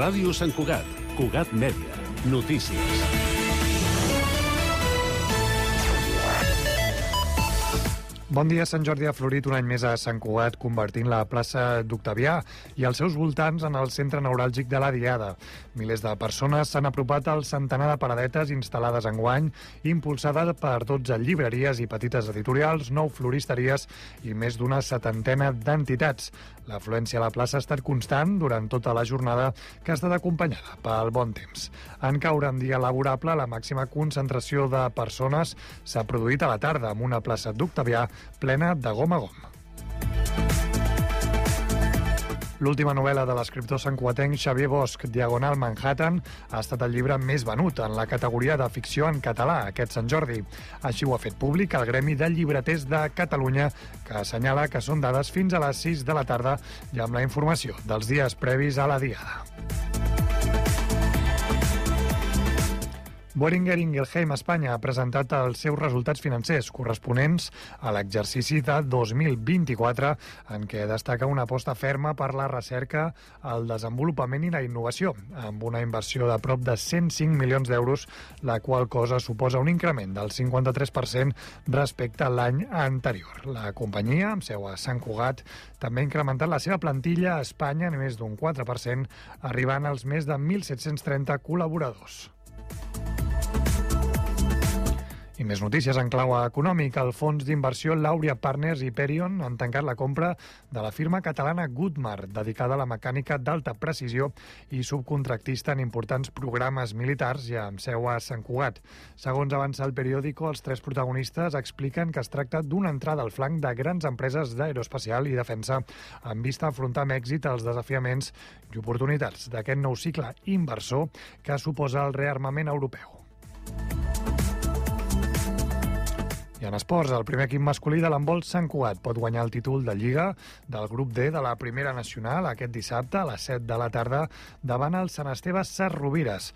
Ràdio Sant Cugat, Cugat Mèdia, notícies. Bon dia. Sant Jordi ha florit un any més a Sant Cugat, convertint la plaça d'Octavià i els seus voltants en el centre neuràlgic de la Diada. Milers de persones s'han apropat al centenar de paradetes instal·lades enguany, impulsades per 12 llibreries i petites editorials, 9 floristeries i més d'una 70ena d'entitats. L'afluència a la plaça ha estat constant durant tota la jornada, que ha estat acompanyada pel bon temps. En caure en dia laborable, la màxima concentració de persones s'ha produït a la tarda, amb una plaça d'Octavià plena de gom a gom. L'última novel·la de l'escriptor santcugatenc Xavier Bosch, Diagonal Manhattan, ha estat el llibre més venut en la categoria de ficció en català aquest Sant Jordi. Així ho ha fet públic el Gremi de Llibreters de Catalunya, que assenyala que són dades fins a les 6 de la tarda i amb la informació dels dies previs a la Diada. Boehringer Ingelheim Espanya ha presentat els seus resultats financers corresponents a l'exercici de 2024, en què destaca una aposta ferma per la recerca, el desenvolupament i la innovació, amb una inversió de prop de 105 milions d'euros, la qual cosa suposa un increment del 53% respecte a l'any anterior. La companyia, amb seu a Sant Cugat, també ha incrementat la seva plantilla a Espanya en més d'un 4%, arribant als més de 1.730 col·laboradors. I més notícies en clau econòmic. El fons d'inversió Lauria Partners i Perion han tancat la compra de la firma catalana Goodmar, dedicada a la mecànica d'alta precisió i subcontractista en importants programes militars i amb seu a Sant Cugat. Segons avança el periòdico, els tres protagonistes expliquen que es tracta d'una entrada al flanc de grans empreses d'aeroespacial i defensa amb vista a afrontar amb èxit els desafiaments i oportunitats d'aquest nou cicle inversor que suposa el rearmament europeu. I en esports, el primer equip masculí de l'handbol Sant Cugat pot guanyar el títol de Lliga del grup D de la Primera Nacional aquest dissabte a les 7 de la tarda davant el Sant Esteve Sesrovires.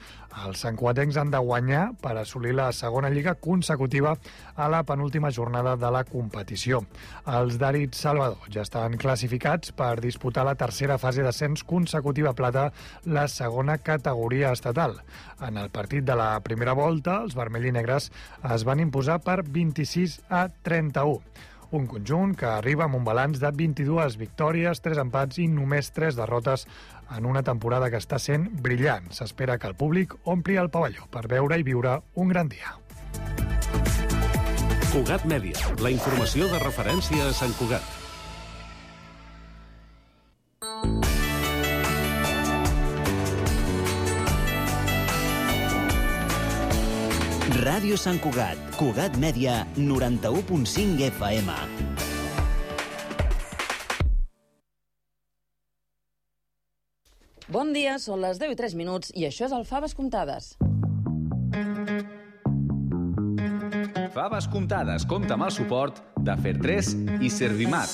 Els santcugatencs han de guanyar per assolir la segona Lliga consecutiva a la penúltima jornada de la competició. Els d'Àrid Salvador ja estan classificats per disputar la tercera fase d'ascens consecutiva plata, la segona categoria estatal. En el partit de la primera volta, els vermells i negres es van imposar per 26-31. Un conjunt que arriba amb un balanç de 22 victòries, 3 empats i només 3 derrotes en una temporada que està sent brillant. S'espera que el públic ompli el pavelló per veure i viure un gran dia. Cugat Mèdia, la informació de referència a Sant Cugat. Ràdio Sant Cugat, Cugat Mèdia, 91.5 FM. Bon dia, són les 10:03 i això és el Faves Comptades. Faves Comptades compta amb el suport de Fer3 i Servimat.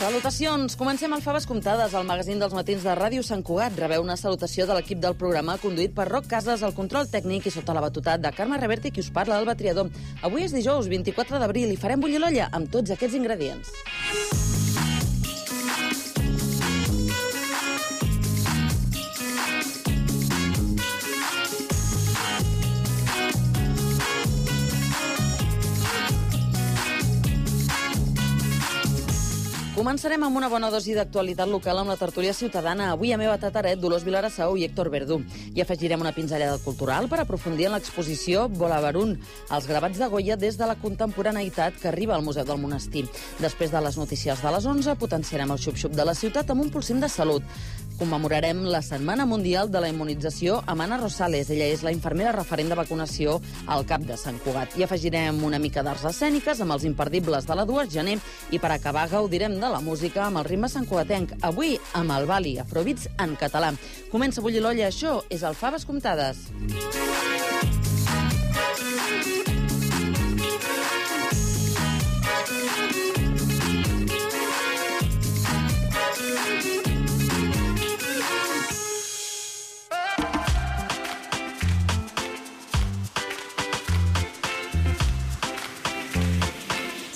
Salutacions! Comencem el Faves Comptades, el magazín dels matins de Ràdio Sant Cugat. Rebeu una salutació de l'equip del programa conduït per Roc Casas, el control tècnic i sota la batutat de Carme Reverte, qui us parla, Alba Triador. Avui és dijous, 24 d'abril, i farem bullir l'olla amb tots aquests ingredients. Començarem amb una bona dosi d'actualitat local amb la tertúlia ciutadana. Avui a Meva Tataret, Dolors Vilarasau i Héctor Verdú. I afegirem una pinzellada cultural per aprofundir en l'exposició Volavarun, els gravats de Goya des de la contemporaneïtat que arriba al Museu del Monestir. Després de les notícies de les 11, potenciarem el xup-xup de la ciutat amb un pulsim de salut. Commemorarem la Setmana Mundial de la Immunització amb Anna Rosales. Ella és la infermera referent de vacunació al CAP de Sant Cugat. I afegirem una mica d'arts escèniques amb els imperdibles de la 2 de gener i per acabar gaudirem de la música amb el ritme santcugatenc. Avui amb el Bali, Afrobeats en català. Comença a bullir l'olla, això és el Faves Comptades.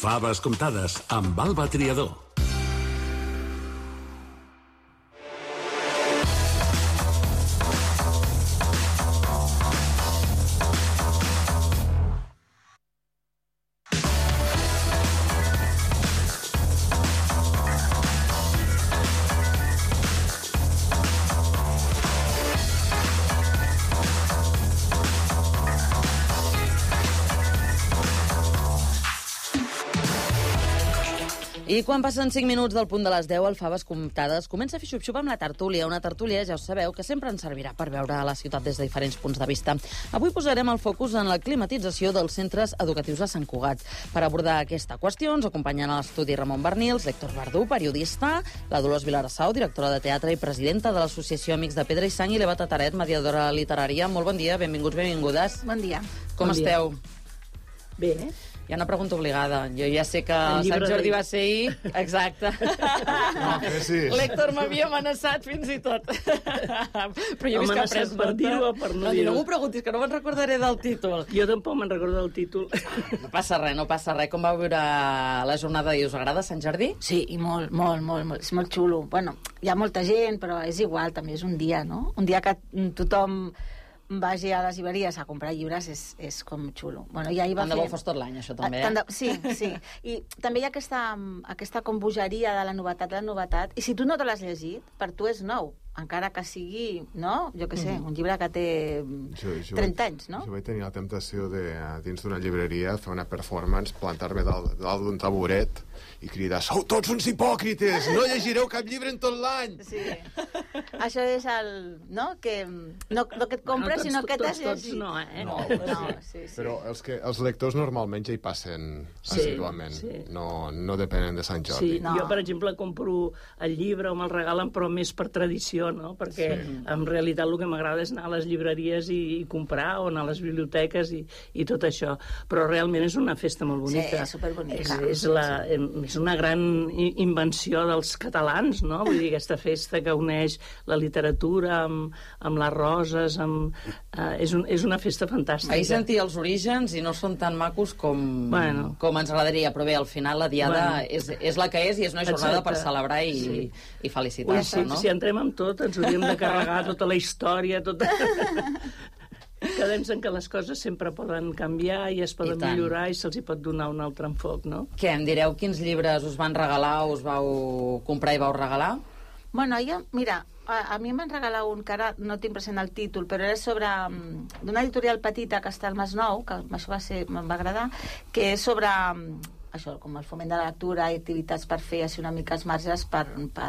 Faves comptades amb Alba Triador. I quan passen 5 minuts del punt de les 10, el Faves Comptades comença a fer xup-xup amb la tertúlia. Una tertúlia, ja ho sabeu, que sempre ens servirà per veure la ciutat des de diferents punts de vista. Avui posarem el focus en la climatització dels centres educatius de Sant Cugat. Per abordar aquesta qüestió ens acompanyen a l'estudi Ramon Bernils, l'Héctor Verdú, periodista, la Dolors Vilarassau, directora de teatre i presidenta de l'Associació Amics de Pedra i Sang, i l'Eva Tataret, mediadora literària. Molt bon dia, benvinguts, benvingudes. Bon dia. Com esteu? Bé. Hi ha una pregunta obligada. Jo ja sé que Sant Jordi va ser ahir. Exacte. No, que sí. L'Héctor m'havia amenaçat fins i tot. Però jo he vist que ha pres per dir-ho o per no dir-ho? No m'ho preguntis, que no me'n recordaré del títol. Jo tampoc me'n recordo del títol. No passa res, no passa res. Com va viure la jornada i us agrada Sant Jordi? Sí, i molt. És molt xulo. Bueno, hi ha molta gent, però és igual, també és un dia, no? Un dia que tothom vagi a les llibreries a comprar llibres és com xulo. Bueno, ja tant de bo fos tot l'any, això també. Sí. I també hi ha aquesta com bogeria de la novetat, i si tu no te l'has llegit, per tu és nou, encara que sigui, no? Jo què sé, un llibre que té 30 anys, no? Jo vaig tenir la temptació de, dins d'una llibreria, fer una performance, plantar-me dalt d'un taburet i cridar: sou tots uns hipòcrites, no llegireu cap llibre en tot l'any! Sí. Això és el... no? Que no que et compres, sinó que t'has llegit. No, sí. Però els lectors normalment ja hi passen assíduament. No depenen de Sant Jordi. Sí, jo, per exemple, compro el llibre o me'l regalen, però més per tradició, no? Perquè en realitat el que m'agrada és anar a les llibreries i comprar, o anar a les biblioteques i tot això. Però realment és una festa molt bonica. Sí, superbonica. És una gran invenció dels catalans, no? Vull dir, aquesta festa que uneix la literatura amb les roses, és una festa fantàstica. Ahir sentia els orígens i no són tan macos com ens agradaria, però bé, al final la diada és la que és i és una jornada per celebrar i felicitar-se, no? Si entrem amb tot, ens hauríem de carregar tota la història, Quedem en que les coses sempre poden canviar i es poden millorar i se'ls hi pot donar un altre enfoc, no? Què, em direu quins llibres us van regalar o us vau comprar i vau regalar? Bueno, mira, a mi em van regalar un que ara no tinc present el títol, però era sobre d'una editorial petita que està al Masnou, que això me'n va agradar, que és sobre això, com el foment de la lectura i activitats per fer així una mica els marges per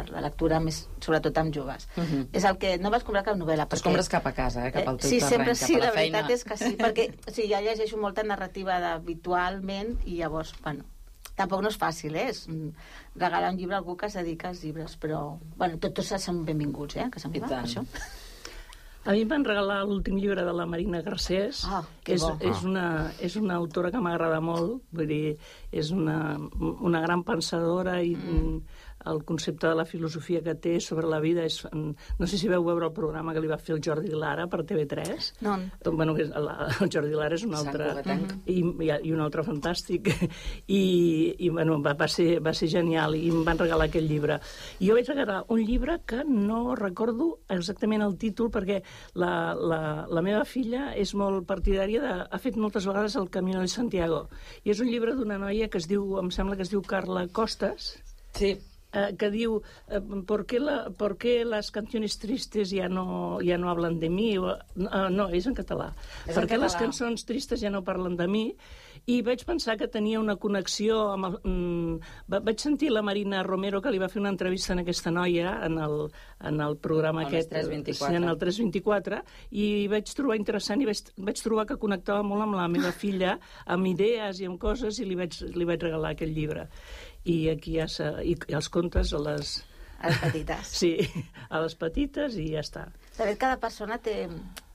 la lectura, més sobretot amb joves. És el que... No vas comprar cap novel·la. Els compres cap a casa, cap al teu terreny, sempre, cap a la feina. La veritat és que sí, perquè ja llegeixo molta narrativa habitualment i llavors, bueno, tampoc no és fàcil, regalar un llibre a algú que es dedica als llibres, però, bueno, tots són benvinguts, que se'n va, això. A mi em van regalar l'últim llibre de la Marina Garcés. És una autora que m'agrada molt, vull dir, és una gran pensadora i el concepte de la filosofia que té sobre la vida és... No sé si veu veure el programa que li va fer el Jordi Lara per TV3. No. Bueno, el Jordi Lara és un altre... I un altre fantàstic. I bueno, va ser genial i em van regalar aquest llibre. I jo vaig regalar un llibre que no recordo exactament el títol perquè la meva filla és molt partidària ha fet moltes vegades el Camino de Santiago. I és un llibre d'una noia que em sembla que es diu Carla Costas. Sí. Que diu ¿por qué las canciones tristes ya no hablan de mí? No, és en català. Per què les cançons tristes ja no parlen de mi? I vaig pensar que tenia una connexió amb vaig sentir la Marina Romero, que li va fer una entrevista a aquesta noia en el programa aquest, en el 324, i vaig trobar interessant i vaig trobar que connectava molt amb la meva filla, amb idees i amb coses, i li vaig regalar aquest llibre. I aquí i els contes a les petites. Sí, a les petites i ja està. De fet, cada persona té...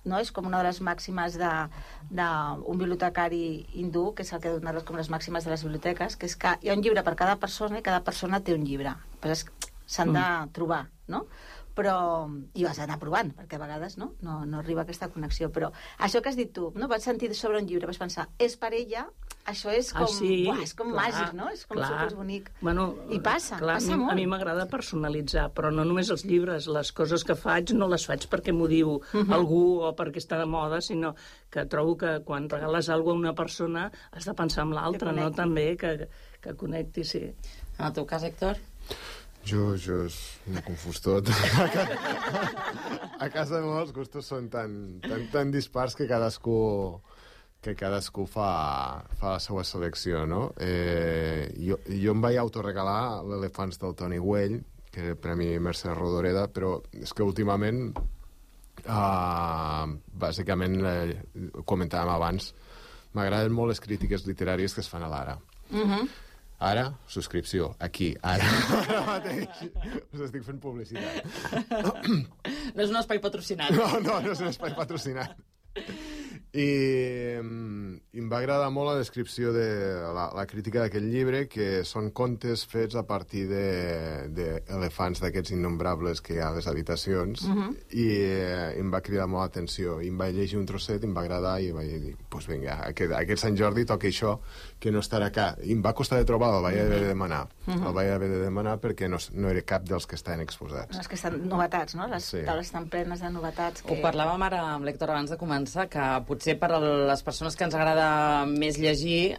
No? És com una de les màximes d'un bibliotecari hindú, que és el que dona com les màximes de les biblioteques, que és que hi ha un llibre per cada persona i cada persona té un llibre. Però s'han de trobar, no? però... I ho has d'anar provant, perquè a vegades no arriba aquesta connexió. Però això que has dit tu, no? Vaig sentir sobre un llibre, vaig pensar, és per ella, això és com, és com màgic, no? És com superbonic. Bueno, I passa molt. A mi m'agrada personalitzar, però no només els llibres, les coses que faig no les faig perquè m'ho diu algú o perquè està de moda, sinó que trobo que quan regales alguna cosa a una persona has de pensar en l'altra, no? També que connecti, sí. En el teu cas, Héctor? Jo m'he confús tot. A casa meva els gustos són tan dispars que cadascú fa la seva selecció, no? Jo em vaig autoregalar l'Elefants del Toni Güell, que per a mi Mercè Rodoreda, però és que últimament, bàsicament, comentàvem abans, m'agraden molt les crítiques literàries que es fan a l'Ara. Ara, subscripció, aquí, ara mateix. Us estic fent publicitat. No és un espai patrocinat. No és un espai patrocinat. I em va agradar molt la descripció de la crítica d'aquest llibre, que són contes fets a partir d'elefants d'aquests innombrables que hi ha a les habitacions, i em va cridar molt l'atenció. I em vaig llegir un trosset, em va agradar, i vaig dir, doncs vinga, aquest Sant Jordi toca això, que no estarà acá. I em va costar de trobar, el vaig haver de demanar. El vaig haver de demanar perquè no era cap dels que estaven exposats. Els que estan novetats, no? Les taules estan plenes de novetats. Ho parlàvem ara amb l'Héctor abans de començar, que potser per a les persones que ens agrada més llegir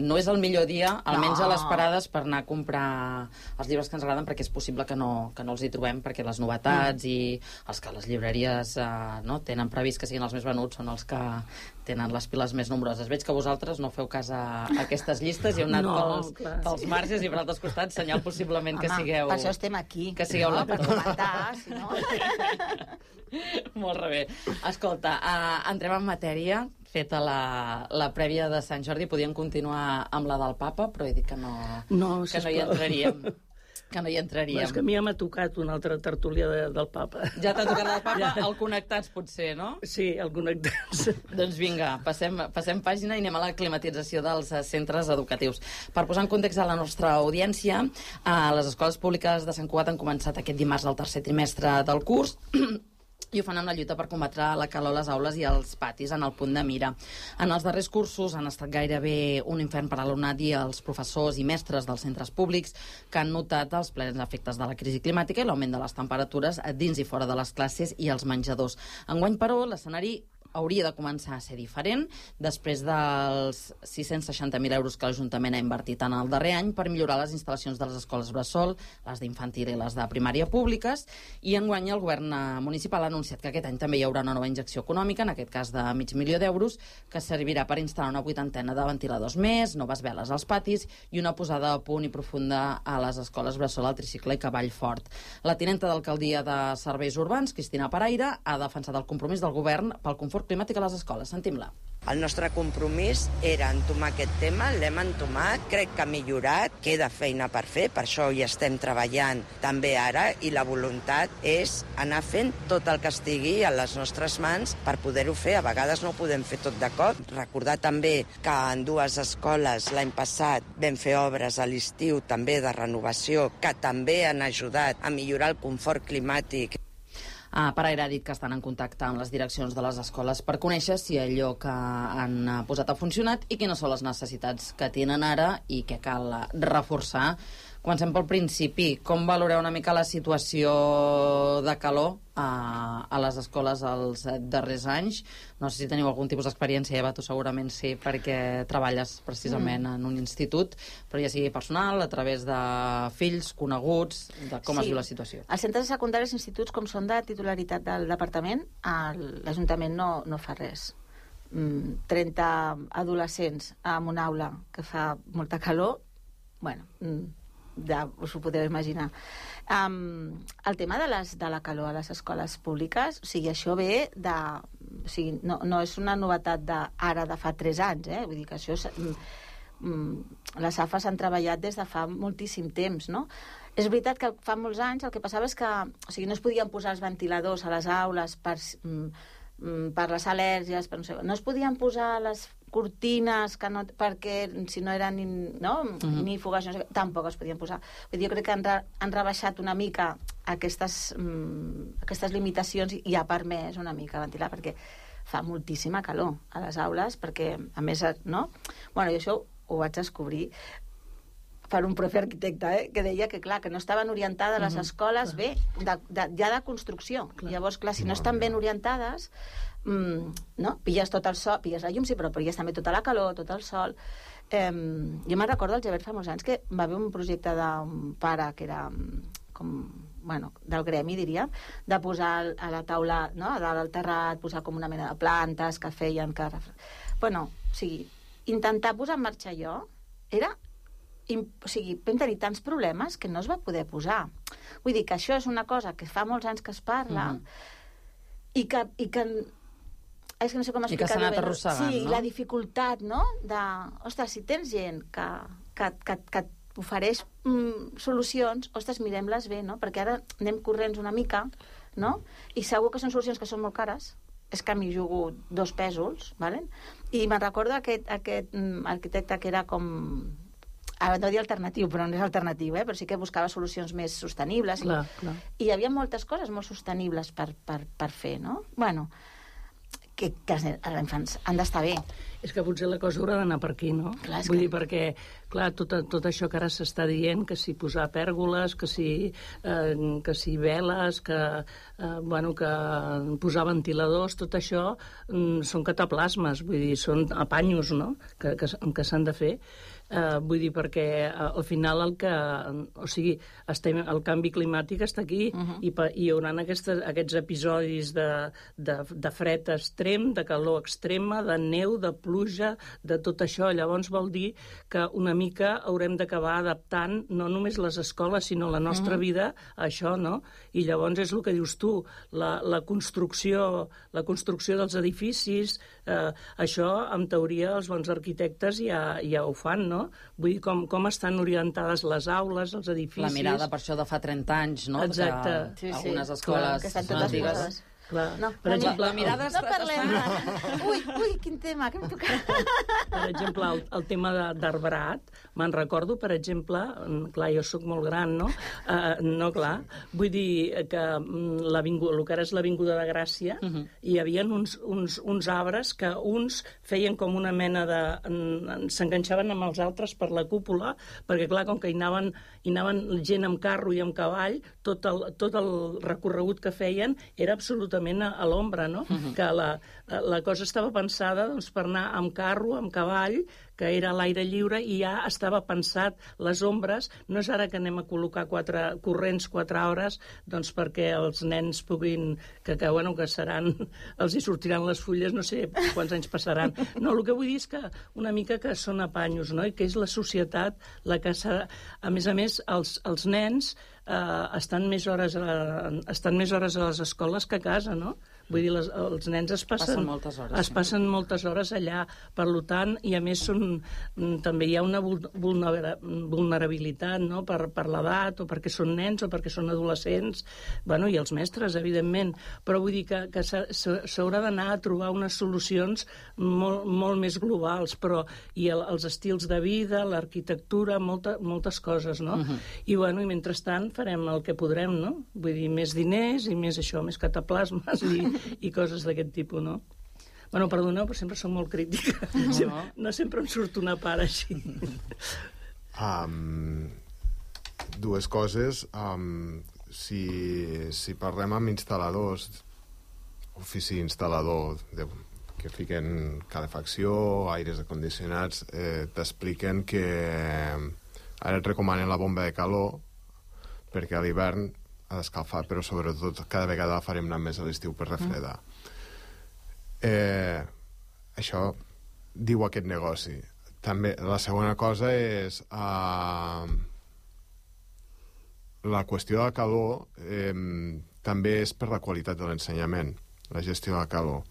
no és el millor dia, almenys a les parades, per anar a comprar els llibres que ens agraden, perquè és possible que no els hi trobem, perquè les novetats i els que les llibreries tenen previst que siguin els més venuts són els que tenen les piles més nombroses. Veig que vosaltres no feu cas a aquestes llistes i heu anat pels marges i per altres costats, senyal possiblement que sigueu... Per això estem aquí. Que sigueu la per comentar, si no... Molt bé. Escolta, entrem en matèria. Feta la prèvia de Sant Jordi, podíem continuar amb la del papa, però he dit que no hi entraríem. Que no hi entraríem. És que a mi ja m'ha tocat una altra tertúlia del papa. Ja t'ha tocat el papa? El Connectats, potser, no? Sí, el Connectats. Doncs vinga, passem pàgina i anem a la climatització dels centres educatius. Per posar en context a la nostra audiència, les escoles públiques de Sant Cugat han començat aquest dimarts el tercer trimestre del curs i ho fan amb la lluita per combatre la calor a les aules i als patis en el punt de mira. En els darrers cursos han estat gairebé un infern per a l'alumnat i els professors i mestres dels centres públics, que han notat els plens efectes de la crisi climàtica i l'augment de les temperatures dins i fora de les classes i els menjadors. Enguany, però, l'escenari hauria de començar a ser diferent després dels 660.000 euros que l'Ajuntament ha invertit en el darrer any per millorar les instal·lacions de les escoles bressol, les d'infantil i les de primària públiques, i enguany el govern municipal ha anunciat que aquest any també hi haurà una nova injecció econòmica, en aquest cas de $500.000, que servirà per instal·lar una 80ena de ventiladors més, noves veles als patis i una posada a punt i profunda a les escoles bressol al Tricicle i Cavall Fort. La tinenta d'alcaldia de Serveis Urbans, Cristina Paraire, ha defensat el compromís del govern pel confort climàtic a les escoles. Sentim-la. El nostre compromís era entomar aquest tema, l'hem entomat, crec que ha millorat, queda feina per fer, per això hi estem treballant també ara, i la voluntat és anar fent tot el que estigui a les nostres mans per poder-ho fer. A vegades no ho podem fer tot de cop. Recordar també que en dues escoles l'any passat vam fer obres a l'estiu també de renovació que també han ajudat a millorar el confort climàtic. Paraire ha dit que estan en contacte amb les direccions de les escoles per conèixer si allò que han posat ha funcionat i quines són les necessitats que tenen ara i què cal reforçar. Comencem pel principi. Com valoreu una mica la situació de calor a les escoles els darrers anys? No sé si teniu algun tipus d'experiència, Eva, tu segurament sí, perquè treballes precisament en un institut, però ja sigui personal, a través de fills, coneguts, de com es viu la situació. Els centres secundaris i instituts, com són de titularitat del departament, l'Ajuntament no fa res. 30 adolescents en una aula que fa molta calor, bueno, ja us ho podeu imaginar. El tema de la calor a les escoles públiques, o sigui, això ve de... O sigui, no és una novetat ara de fa 3 anys, vull dir que això... Les AFAs han treballat des de fa moltíssim temps, no? És veritat que fa molts anys el que passava és que no es podien posar els ventiladors a les aules per les al·lèrgies, no es podien posar les cortines perquè si no eren ni fugacions, tampoc es podien posar. Vull dir, jo crec que han rebaixat una mica aquestes limitacions i ha permès una mica ventilar, perquè fa moltíssima calor a les aules, perquè, a més, no? Bueno, i això ho vaig descobrir per un profe arquitecte, que deia que, clar, que no estaven orientades les escoles bé, ja de construcció. Llavors, clar, si no estan ben orientades, no? Pilles tot el sol, pilles la llum, sí, però pilles també tota la calor, tot el sol. Jo me'n recordo, al Gebert, fa molts anys, que va haver un projecte d'un pare que era del gremi, diria, de posar a la taula, no?, a dalt al terrat, posar com una mena de plantes que feien que... Bueno, o sigui, intentar posar en marxa allò era... O sigui, vam tenir tants problemes que no es va poder posar. Vull dir que això és una cosa que fa molts anys que es parla i que és que no sé com explicar-ho bé. I que s'ha anat arrossegant, sí, no? la dificultat, no?, de... Ostres, si tens gent que ofereix solucions, ostres, mirem-les bé, no? Perquè ara anem corrents una mica, no? I segur que són solucions que són molt cares. És que m'hi jugo 2 pèsols, ¿vale? I me'n recordo aquest arquitecte que era com... Ara no dir alternatiu, però no és alternatiu, però sí que buscava solucions més sostenibles. Clar. I hi havia moltes coses molt sostenibles per fer, no? Bueno, que els infants han d'estar bé. És que potser la cosa haurà d'anar per aquí, no? Clar, Vull dir, perquè, clar, tot això que ara s'està dient, que si posar pèrgoles, que si veles, que posar ventiladors, tot això són cataplasmes, vull dir, són apanyos, no?, que s'han de fer. Vull dir, perquè al final el canvi climàtic està aquí i hi haurà aquests episodis de fred extrem, de calor extrema, de neu, de pluja, de tot això. Llavors vol dir que una mica haurem d'acabar adaptant no només les escoles, sinó la nostra vida a això, no? I llavors és el que dius tu, la construcció dels edificis, això, en teoria, els bons arquitectes ja ho fan, no? Vull dir, com estan orientades les aules, els edificis... La mirada, per això, de fa 30 anys, no? Exacte. Que algunes escoles... Que estan totes posades. Clar. No, Per exemple, la mirada no parlem. Ui, quin tema, que hem tocat. Per exemple, el tema d'arbrat, me'n recordo, per exemple, clar, jo sóc molt gran, no? No, clar, vull dir que el que ara és l'Avinguda de Gràcia, hi havia uns arbres que uns feien com una mena de... s'enganxaven amb els altres per la cúpula, perquè, clar, com que hi anaven gent amb carro i amb cavall, tot el recorregut que feien era absolutament a l'ombra, no? Que la cosa estava pensada per anar amb carro, amb cavall, que era a l'aire lliure, i ja estava pensat les ombres. No és ara que anem a col·locar 4 hores perquè els nens puguin... que seran... els hi sortiran les fulles, no sé quants anys passaran. No, el que vull dir és que una mica que són apanyos, no? I que és la societat la que s'ha... A més, els nens estan més hores a les escoles que a casa, no? Vull dir, els nens es passen moltes hores. Es passen moltes hores allà. Per tant, i a més també hi ha una vulnerabilitat, no?, per l'edat, o perquè són nens, o perquè són adolescents, i els mestres, evidentment. Però vull dir que s'haurà d'anar a trobar unes solucions molt més globals, i els estils de vida, l'arquitectura, moltes coses, no? I mentrestant farem el que podrem, no? Vull dir, més diners i més això, més cataplasmes i coses d'aquest tipus, no? Perdoneu, però sempre som molt crítica. No sempre em surt una part així. Dues coses. Si parlem amb instal·ladors, ofici instal·lador, que fiquen calefacció, aires acondicionats, t'expliquen que ara et recomanen la bomba de calor perquè a l'hivern ha d'escalfar, però sobretot cada vegada la farem anar més a l'estiu per refredar. Això diu aquest negoci. També la segona cosa és la qüestió de la calor també és per la qualitat de l'ensenyament, la gestió de la calor.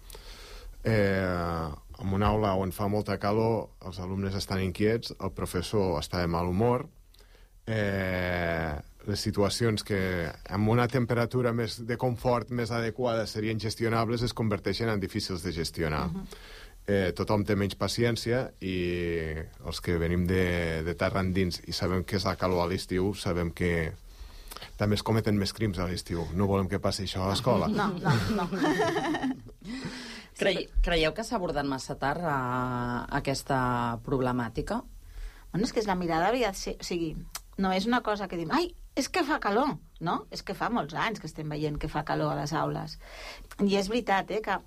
En una aula on fa molta calor, els alumnes estan inquiets, el professor està de mal humor, les situacions que amb una temperatura més de confort més adequada serien gestionables es converteixen en difícils de gestionar. Tothom té menys paciència i els que venim de terra endins i sabem què és la calor a l'estiu sabem que També es cometen més crims a l'estiu. No volem que passi això a l'escola. No. Creieu que s'ha abordat massa tard aquesta problemàtica? Bueno, és que la mirada havia de ser... O sigui, no és una cosa que dim, ai, és que fa calor, no? És que fa molts anys que estem veient que fa calor a les aules. I és veritat, que...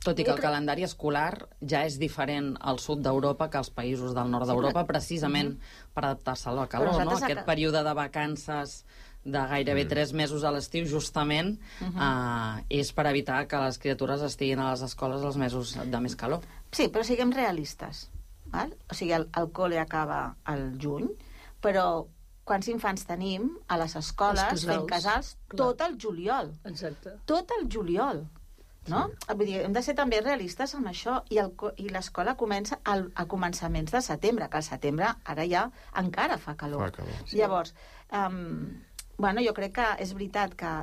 Tot i que el calendari escolar ja és diferent al sud d'Europa que als països del nord d'Europa, precisament per adaptar-se a la calor, no? Aquest període de vacances de gairebé 3 mesos a l'estiu, justament, és per evitar que les criatures estiguin a les escoles els mesos de més calor. Sí, però siguem realistes. Val? O sigui, el col·le acaba al juny, però quants infants tenim a les escoles fent casals tot el juliol. Exacte. Tot el juliol. No? Sí. Vull dir, hem de ser també realistes amb això, i l'escola comença a començaments de setembre, que al setembre ara ja encara fa calor. Sí. Llavors, jo crec que és veritat que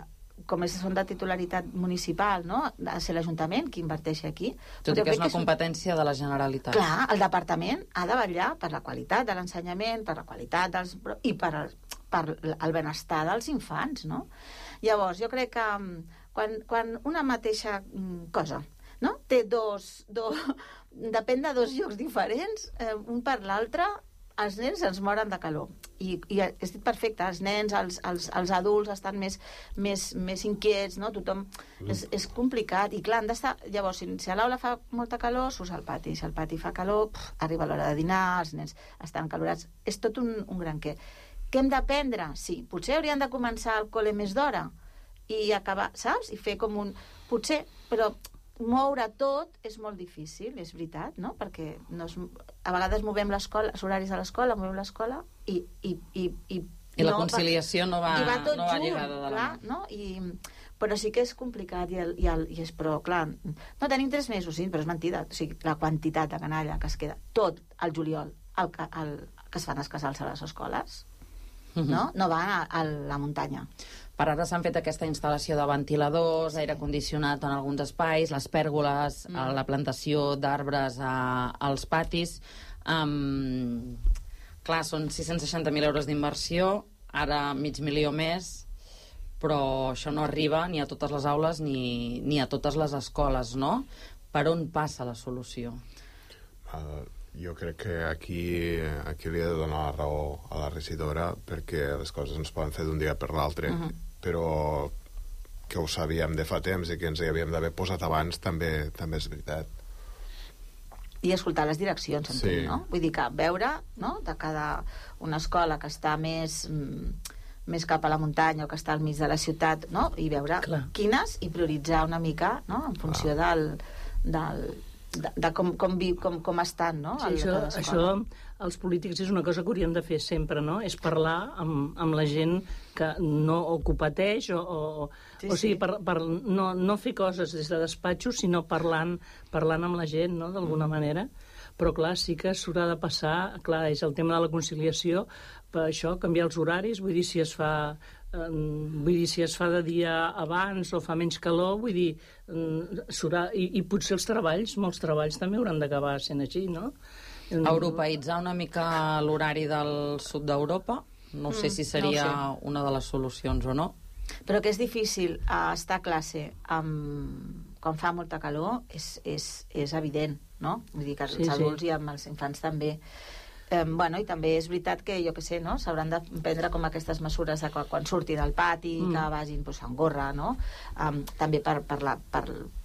com són de titularitat municipal, no? Ha de ser l'Ajuntament qui inverteixi aquí. Tot i que és una competència de la Generalitat. Clar, el departament ha de vetllar per la qualitat de l'ensenyament, per la qualitat i per el benestar dels infants, no? Llavors, jo crec que quan una mateixa cosa, no? Té depèn de 2 llocs diferents, un per l'altre, els nens ens moren de calor. I és dit perfecte, els nens, els adults estan més inquiets, no? Tothom... És complicat. I clar, han d'estar... Llavors, si a l'aula fa molta calor, surts al pati. Si al pati fa calor, arriba l'hora de dinar, els nens estan calorats. És tot un gran què. Què hem d'aprendre? Sí, potser haurien de començar el col·le més d'hora i acabar, saps? I fer com un... Potser, però moure tot és molt difícil, és veritat, no? Perquè a vegades movem l'escola, els horaris de l'escola, movem l'escola i la conciliació no va lligada de la mà. No? Però sí que és complicat però clar, no tenim 3 mesos, sí, però és mentida. O sigui, la quantitat de canalla que es queda tot el juliol que es fan els casals a les escoles, no van a la muntanya. Per ara s'han fet aquesta instal·lació de ventiladors, aire condicionat en alguns espais, les pèrgoles, la plantació d'arbres als patis. Clar, són 660.000 euros d'inversió, ara 500.000 més, però això no arriba ni a totes les aules ni a totes les escoles, no? Per on passa la solució? Jo crec que aquí li he de donar la raó a la regidora, perquè les coses no es poden fer d'un dia per l'altre, però que ho sabíem de fa temps i que ens hi havíem d'haver posat abans també és veritat. I escoltar les direccions, entenc, no? Vull dir que veure, no?, de cada una escola que està més cap a la muntanya o que està al mig de la ciutat, no?, i veure quines i prioritzar una mica, no?, en funció de com estan, no? Sí, això els polítics és una cosa que hauríem de fer sempre, no? És parlar amb la gent que o que ho pateix o sigui, per no fer coses des de despatxos, sinó parlant amb la gent, no?, d'alguna manera. Però clar, sí que s'haurà de passar, clar, és el tema de la conciliació, per això, canviar els horaris, vull dir, si es fa de dia abans o fa menys calor, vull dir, i potser els treballs, molts treballs també hauran d'acabar sent així, no? Europeïtzar una mica l'horari del sud d'Europa, no sé si seria una de les solucions o no. Però que és difícil estar a classe quan fa molta calor és evident, no? Vull dir que els adults i amb els infants també. I també és veritat que, jo què sé, no?, s'hauran de prendre com aquestes mesures de quan surtin al pati, que vagin amb gorra, no? També per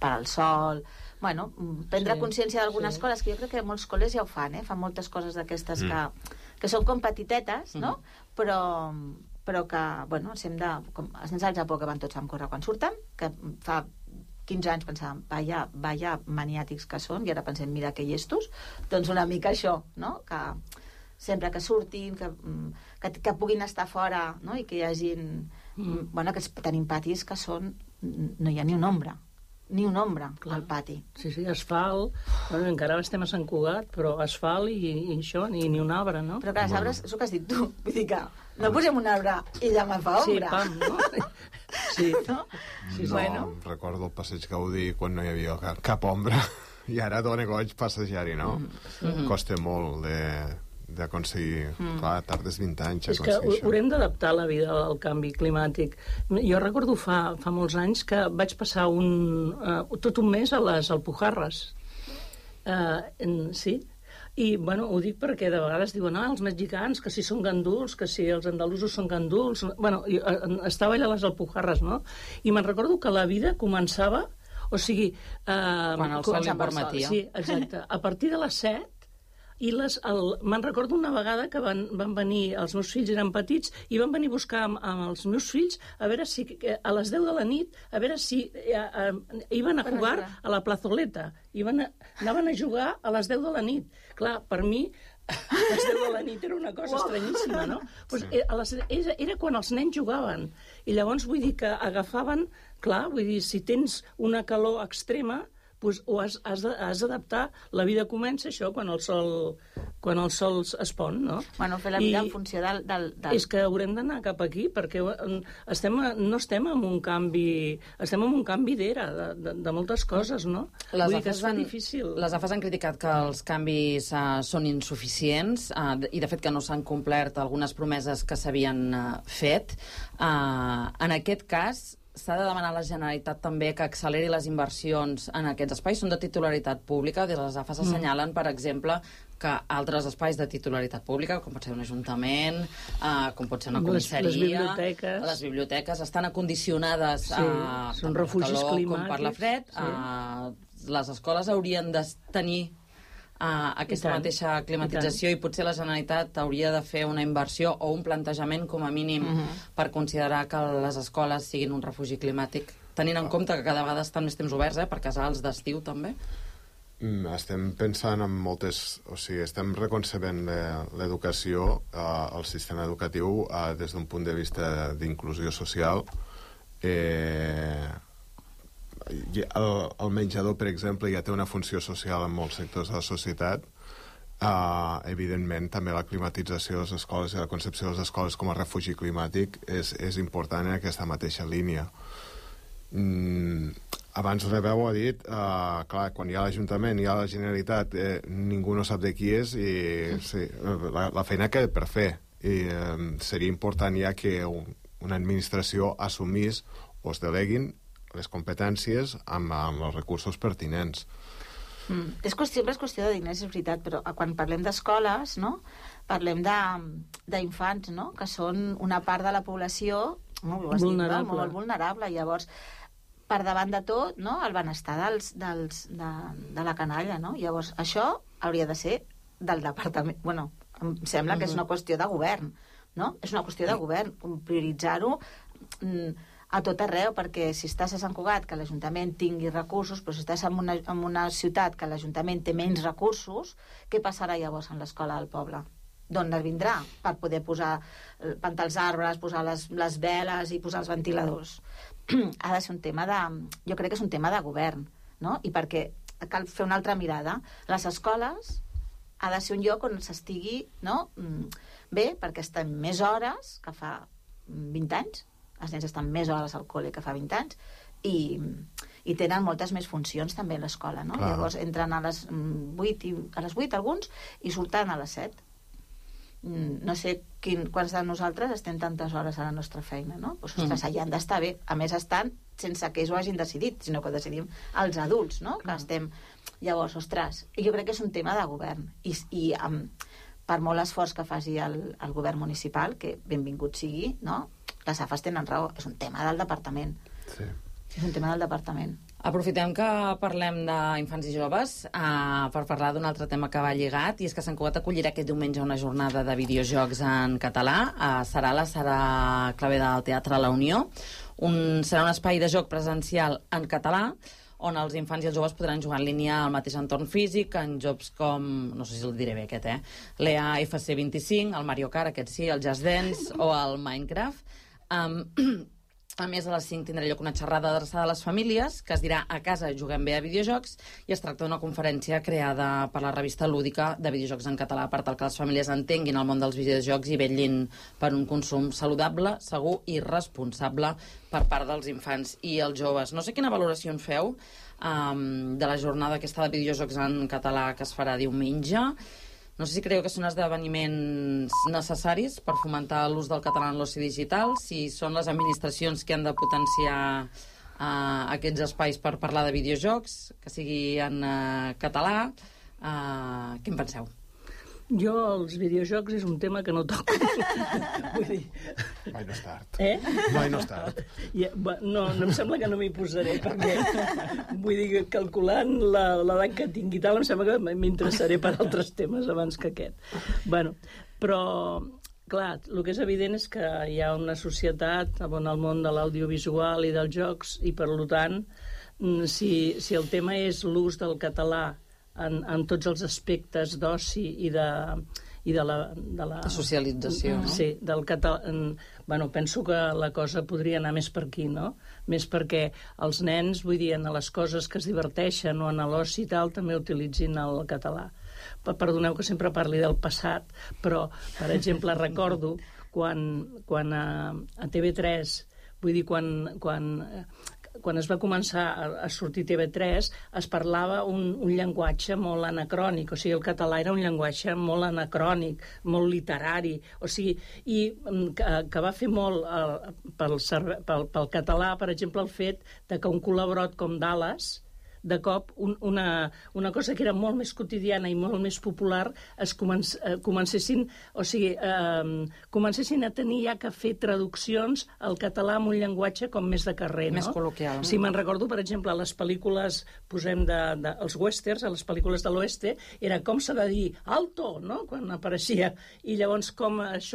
al sol. Prendre consciència d'algunes coses, que jo crec que molts col·les ja ho fan, fan moltes coses d'aquestes que són com petitetes, no? Però que, els nens al Japó que van tots amb gorra quan surten, que fa 15 anys pensàvem, vaya maniàtics que són, i ara pensem, mira que llestos, doncs una mica això, no? Que sempre que surtin, que puguin estar fora, no? I que hi hagin... que tenim patis que són... No hi ha ni un ombra al pati. Sí, asfalt, encara estem a Sant Cugat, però asfalt i això, ni un arbre, no? Però clar, els arbres, és el que has dit tu, vull dir que no posem un arbre i demà fa ombra. Sí, pam, no? Sí. No, recordo el passeig Gaudí quan no hi havia cap ombra, i ara dona goig passejar-hi, no? Costa molt d'aconseguir... Clar, tardes 20 anys a És que aconseguir això. haurem d'adaptar la vida al canvi climàtic. Jo recordo fa molts anys que vaig passar tot un mes a les Alpujarres. Sí. I, bueno, ho dic perquè de vegades diuen els mexicans, que si són ganduls, que si els andalusos són ganduls... Bueno, estava allà a les Alpujarres, no? I me'n recordo que la vida començava... O sigui... Quan el sol permetia. Sí, exacte. A partir de les 7, i me'n recordo una vegada que van venir, els meus fills eren petits, i van venir a buscar amb els meus fills a veure si a les 10 de la nit, a veure si iban a jugar a la plazoleta. Anaven a jugar a les 10 de la nit. Clar, per mi, a les 10 de la nit era una cosa estranyíssima, no? Pues, era quan els nens jugaven. I llavors vull dir que agafaven... Clar, vull dir, si tens una calor extrema, pues, o has d'adaptar, la vida comença això quan el sol es pon, no? Bueno, fer la vida en funció del... És que haurem d'anar cap aquí, perquè no estem en un canvi... Estem en un canvi d'era, de moltes coses, no? Vull dir que es fa difícil. Les AFAS han criticat que els canvis són insuficients i, de fet, que no s'han complert algunes promeses que s'havien fet. En aquest cas, s'ha de demanar a la Generalitat també que acceleri les inversions en aquests espais. Són de titularitat pública. Des de les AFAS assenyalen, per exemple, que altres espais de titularitat pública, com pot ser un ajuntament, com pot ser una comissaria... Les biblioteques estan acondicionades són refugis climàtics, com per la fred. Les escoles haurien de tenir aquesta mateixa climatització i potser la Generalitat hauria de fer una inversió o un plantejament com a mínim per considerar que les escoles siguin un refugi climàtic, tenint en compte que cada vegada estan més temps oberts, per casals d'estiu també. Estem pensant en moltes... O sigui, estem reconcebent l'educació, el sistema educatiu, des d'un punt de vista d'inclusió social. El menjador, per exemple, ja té una funció social en molts sectors de la societat. Evidentment, també la climatització de les escoles i la concepció de les escoles com a refugi climàtic és important en aquesta mateixa línia. Abans Rebeu ha dit, clar, quan hi ha l'Ajuntament, hi ha la Generalitat, ningú no sap de qui és i sí, la feina queda per fer. I seria important ja que una administració assumís o es deleguin les competències amb els recursos pertinents. Sempre és qüestió de diners, és veritat, però quan parlem d'escoles, no? Parlem d'infants, no? Que són una part de la població molt vulnerable. Llavors, per davant de tot, no? El benestar de la canalla, no? Llavors, això hauria de ser del departament. Bueno, em sembla que és una qüestió de govern, no? És una qüestió de govern, prioritzar-ho a tot arreu, perquè si estàs a Sant Cugat, que l'Ajuntament tingui recursos, però si estàs en una ciutat que l'Ajuntament té menys recursos, què passarà llavors en l'escola del poble? D'on es vindrà per poder plantar els arbres, posar les veles i posar els ventiladors? Ha de ser un tema jo crec que és un tema de govern, no? I perquè cal fer una altra mirada. Les escoles ha de ser un lloc on s'estigui, no? Bé, perquè estan més hores que fa 20 anys. Els nens estan més hores al col·le que fa 20 anys i tenen moltes més funcions també a l'escola, no? Llavors entren a les 8 alguns i surten a les 7. No sé quants de nosaltres estem tantes hores a la nostra feina, no? Pues, ostres, allà han d'estar bé. A més, estan sense que ells ho hagin decidit, sinó que ho decidim els adults, no? Que estem... Llavors, ostres, jo crec que és un tema de govern i per molt esforç que faci el govern municipal, que benvingut sigui, no? Les AFAS tenen raó, és un tema del departament. Sí. És un tema del departament. Aprofitem que parlem d'infants i joves per parlar d'un altre tema que va lligat, i és que Sant Cugat acollirà aquest diumenge una jornada de videojocs en català. Serà la Sala Clavé del Teatre La Unió. Serà un espai de joc presencial en català, on els infants i els joves podran jugar en línia al mateix entorn físic, en jocs com, no sé si el diré bé aquest, l'EA FC25, el Mario Kart, aquest sí, el Just Dance o el Minecraft. A més, a les 5 tindrà lloc una xerrada adreçada a les famílies, que es dirà A casa juguem bé a videojocs, i es tracta d'una conferència creada per la revista lúdica de videojocs en català, per tal que les famílies entenguin el món dels videojocs i vetllin per un consum saludable, segur i responsable per part dels infants i els joves. No sé quina valoració en feu de la jornada aquesta de videojocs en català que es farà diumenge. No sé si creieu que són esdeveniments necessaris per fomentar l'ús del català en l'oci digital, si són les administracions que han de potenciar aquests espais per parlar de videojocs, que sigui en català. Què en penseu? Jo, els videojocs és un tema que no toco. Vull dir... Mai no és tard. Mai no és tard. No em sembla que no m'hi posaré, perquè vull dir que calculant l'edat que tingui tal, em sembla que m'interessaré per altres temes abans que aquest. Bueno, però, clar, el que és evident és que hi ha una societat on el món de l'audiovisual i dels jocs, i per tant, si el tema és l'ús del català en tots els aspectes d'oci i de la socialització, no? Sí, del català. Bueno, penso que la cosa podria anar més per aquí, no? Més perquè els nens, vull dir, en les coses que es diverteixen o en l'oci i tal, també utilitzin el català. Perdoneu que sempre parli del passat, però, per exemple, recordo quan a TV3, vull dir, quan es va començar a sortir TV3, es parlava un llenguatge molt anacrònic, o sigui, el català era un llenguatge molt anacrònic, molt literari, o sigui, i que va fer molt pel català, per exemple, el fet de que un col·laborat com Dallas, de cop una cosa que era molt més quotidiana i molt més popular comencessin a tenir ja que fer traduccions al català amb un llenguatge com més de carrer, no? Més col·loquial. Sí, me'n recordo, per exemple, a les pel·lícules, posem els westerns, a les pel·lícules de l'oeste, era com s'ha de dir alto, no?, quan apareixia. I llavors com es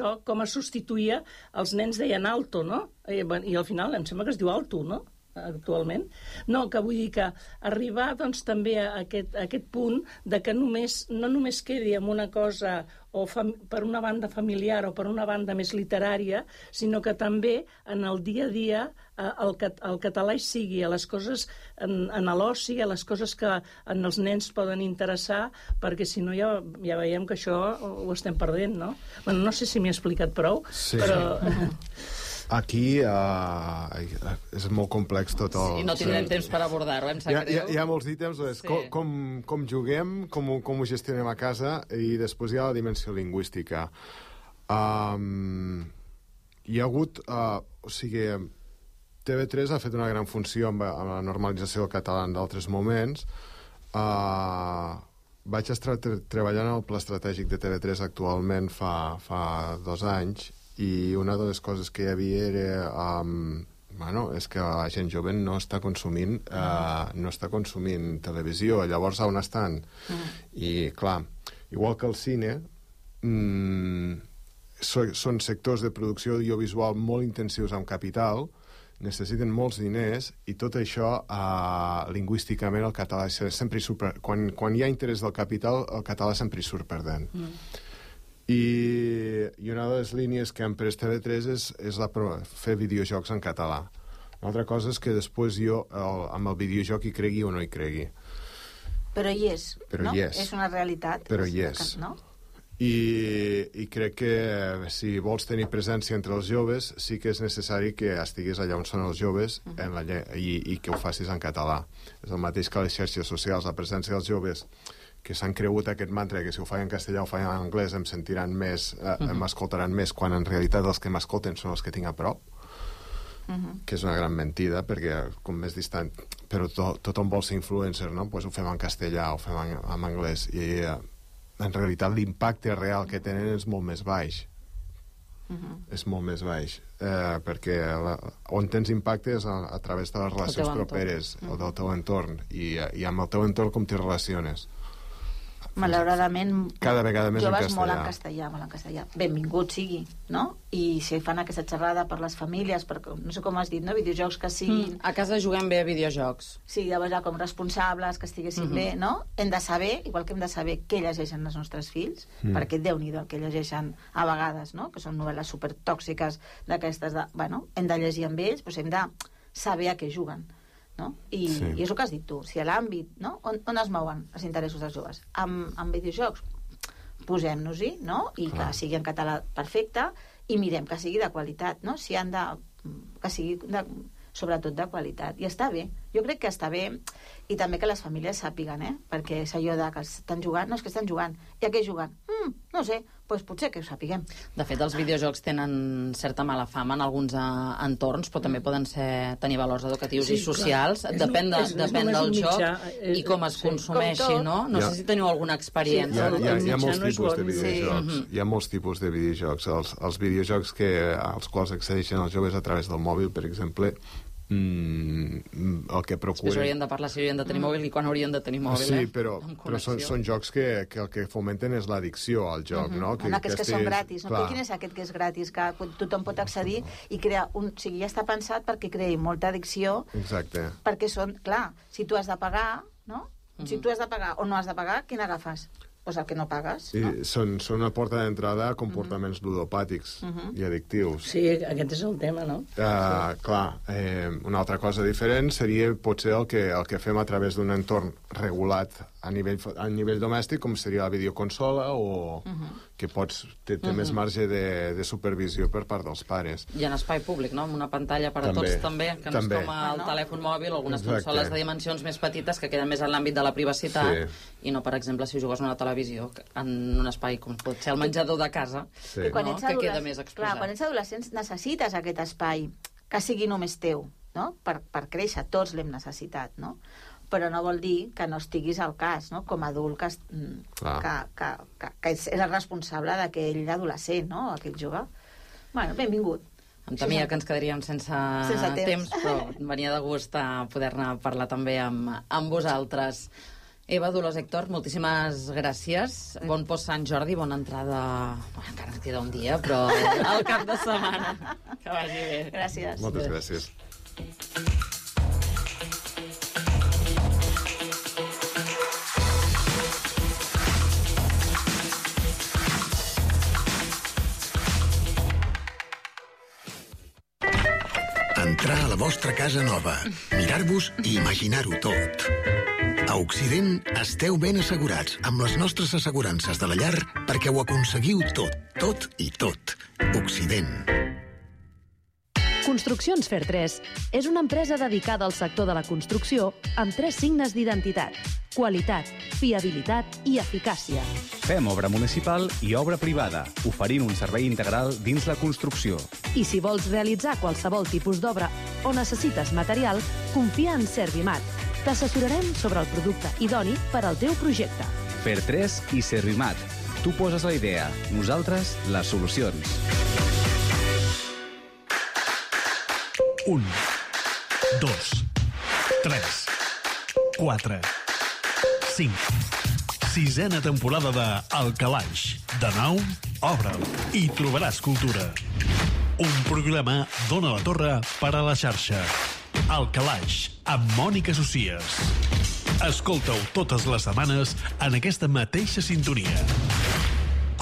substituïa, els nens deien alto, no? I al final em sembla que es diu alto, no?, actualment. No, que vull dir que arribar doncs també a aquest punt de que no només quedi amb una cosa o per una banda familiar o per una banda més literària, sinó que també en el dia a dia el català hi sigui a les coses, en l'oci, a les coses que en els nens poden interessar, perquè si no ja veiem que això ho estem perdent, no? Bueno, no sé si m'he explicat prou, sí, però... Aquí és molt complex tot el... Sí, no tindrem temps per abordar-ho, em sap greu. Hi ha molts ítems, com juguem, com ho gestionem a casa, i després hi ha la dimensió lingüística. Hi ha hagut... O sigui, TV3 ha fet una gran funció amb la normalització del català en d'altres moments. Vaig estar treballant en el pla estratègic de TV3 actualment fa 2 anys, i una de les coses que hi havia era és que la gent jove no està consumint televisió, llavors on estan? I clar, igual que el cine, són sectors de producció audiovisual molt intensius amb capital, necessiten molts diners, i tot això lingüísticament el català sempre quan hi ha interès del capital, el català sempre hi surt perdent. I una de les línies que han pres TV3 és fer videojocs en català. Una altra cosa és que després jo amb el videojoc hi cregui o no hi cregui. Però hi és, no? És una realitat. Però hi és. No? I crec que si vols tenir presència entre els joves, sí que és necessari que estiguis allà on són els joves i que ho facis en català. És el mateix que les xarxes socials, la presència dels joves, que s'han cregut aquest mantra que si ho faig en castellà o ho faig en anglès em sentiran més, m'escoltaran més, quan en realitat els que m'escolten són els que tinc a prop, que és una gran mentida, perquè com més distant, però tothom vol ser influencer, no? Pues ho fem en castellà, ho fem en anglès, i en realitat l'impacte real que tenen és molt més baix. És molt més baix, perquè on tens impacte és a través de les relacions properes o del teu entorn, i amb el teu entorn com t'hi relaciones. Malauradament, cada vegada més joves molt en castellà. Benvingut sigui, no? I si fan aquesta xerrada per les famílies, perquè, no sé com has dit, no? Videojocs que siguin... A casa juguem bé a videojocs. Sí, llavors com responsables, que estiguessin bé, no? Hem de saber, igual que hem de saber què llegeixen els nostres fills, perquè Déu-n'hi-do el que llegeixen a vegades, no? Que són novel·les supertòxiques d'aquestes de... Bueno, hem de llegir amb ells, però hem de saber a què juguen. No? I és el que has dit tu, si a l'àmbit, no? on es mouen els interessos dels joves? Amb videojocs, posem-nos-hi, no? I que sigui en català perfecte, i mirem que sigui de qualitat, no? Si han de... que sigui sobretot de qualitat. I està bé. Jo crec que està bé, i també que les famílies sàpiguen, perquè és allò de que estan jugant, no és que estan jugant, i a què juguen? No sé, doncs potser que ho sapiguem. De fet, els videojocs tenen certa mala fama en alguns entorns, però també poden tenir valors educatius i socials. Depèn del joc i com es consumeixi, no? No sé si teniu alguna experiència. Hi ha molts tipus de videojocs. Hi ha molts tipus de videojocs. Els videojocs als quals accedeixen els joves a través del mòbil, per exemple, el que procuren... Després haurien de parlar si haurien de tenir mòbil i quan haurien de tenir mòbil, Sí, però són jocs que el que fomenten és l'addicció al joc, no? Aquests que són gratis, no? Quin és aquest que és gratis, que tothom pot accedir i crear un... O sigui, ja està pensat perquè creï molta addicció. Exacte. Perquè són... Clar, si tu has de pagar, no? Si tu has de pagar o no has de pagar, quin agafes? Doncs el que no pagues. Són una porta d'entrada a comportaments ludopàtics i addictius. Sí, aquest és el tema, no? Clar, una altra cosa diferent seria potser el que fem a través d'un entorn regulat a nivell domèstic, com seria la videoconsola, o que té més marge de supervisió per part dels pares. I en espai públic, no? Amb una pantalla per a tots també, que no és com el telèfon mòbil, algunes consoles de dimensions més petites que queden més en l'àmbit de la privacitat, i no, per exemple, si jugues a una televisió en un espai com pot ser el menjador de casa, que queda més exposat. Clar, quan ets adolescents necessites aquest espai que sigui només teu, no? Per créixer, tots l'hem necessitat, no? Però no vol dir que no estiguis al cas, no? Com a adult que és el responsable d'aquell adolescent, no? Aquell jove. Bueno, benvingut. Em temia que ens quedaríem sense temps, però venia de gust a poder-ne parlar també amb vosaltres. Eva Dolors Héctor, moltíssimes gràcies. Bon post Sant Jordi, bona entrada... Encara ens queda un dia, però al cap de setmana. Que vagi bé. Gràcies. Moltes gràcies. Entrar a la vostra casa nova, mirar-vos i imaginar-ho tot. A Occident esteu ben assegurats amb les nostres assegurances de la llar perquè ho aconseguiu tot i tot. Occident. Construccions Fer 3 és una empresa dedicada al sector de la construcció amb 3 signes d'identitat: qualitat, fiabilitat i eficàcia. Fem obra municipal i obra privada, oferint un servei integral dins la construcció. I si vols realitzar qualsevol tipus d'obra o necessites material, confia en Servimat. T'assessorarem sobre el producte idoni per al teu projecte. Fer 3 i Servimat. Tu poses la idea, nosaltres les solucions. 1, 2, 3, 4, 5. 6a temporada de El Calaix. De nou, obre'l i trobaràs cultura. Un programa d'Ona la Torre per a la xarxa. El Calaix, amb Mònica Socies. Escolta-ho totes les setmanes en aquesta mateixa sintonia.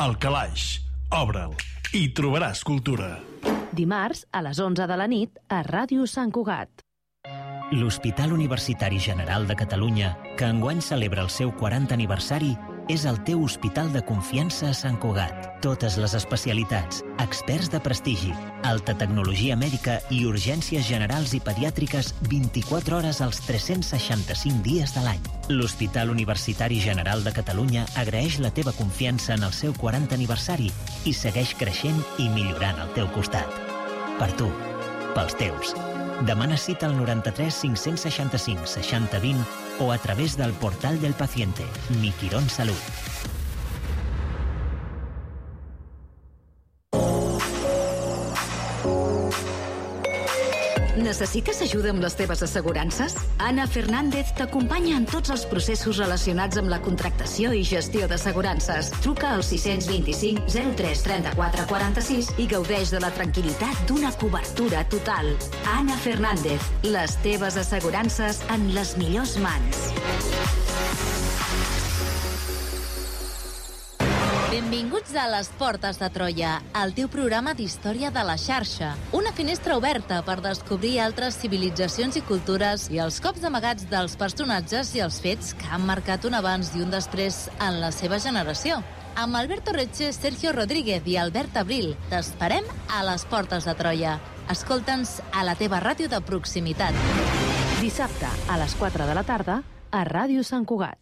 El Calaix, obre'l i trobaràs cultura. Dimarts, a les 11 de la nit, a Ràdio Sant Cugat. L'Hospital Universitari General de Catalunya, que enguany celebra el seu 40 aniversari, és el teu hospital de confiança a Sant Cugat. Totes les especialitats, experts de prestigi, alta tecnologia mèdica i urgències generals i pediàtriques 24 hores als 365 dies de l'any. L'Hospital Universitari General de Catalunya agraeix la teva confiança en el seu 40 aniversari i segueix creixent i millorant al teu costat. Per tu, pels teus. Demana cita al 93 565 60 20 o a través del portal del paciente. Mi Quirón Salud. Necessites ajuda amb les teves assegurances? Anna Fernández t'acompanya en tots els processos relacionats amb la contractació i gestió d'assegurances. Truca al 625 03 34 46 i gaudeix de la tranquil·litat d'una cobertura total. Anna Fernández, les teves assegurances en les millors mans. Benvinguts a Les Portes de Troia, el teu programa d'història de la xarxa. Una finestra oberta per descobrir altres civilitzacions i cultures i els cops amagats dels personatges i els fets que han marcat un abans i un després en la seva generació. Amb Alberto Reche, Sergio Rodríguez i Albert Abril, t'esperem a Les Portes de Troia. Escolta'ns a la teva ràdio de proximitat. Dissabte, a les 4 de la tarda, a Ràdio Sant Cugat.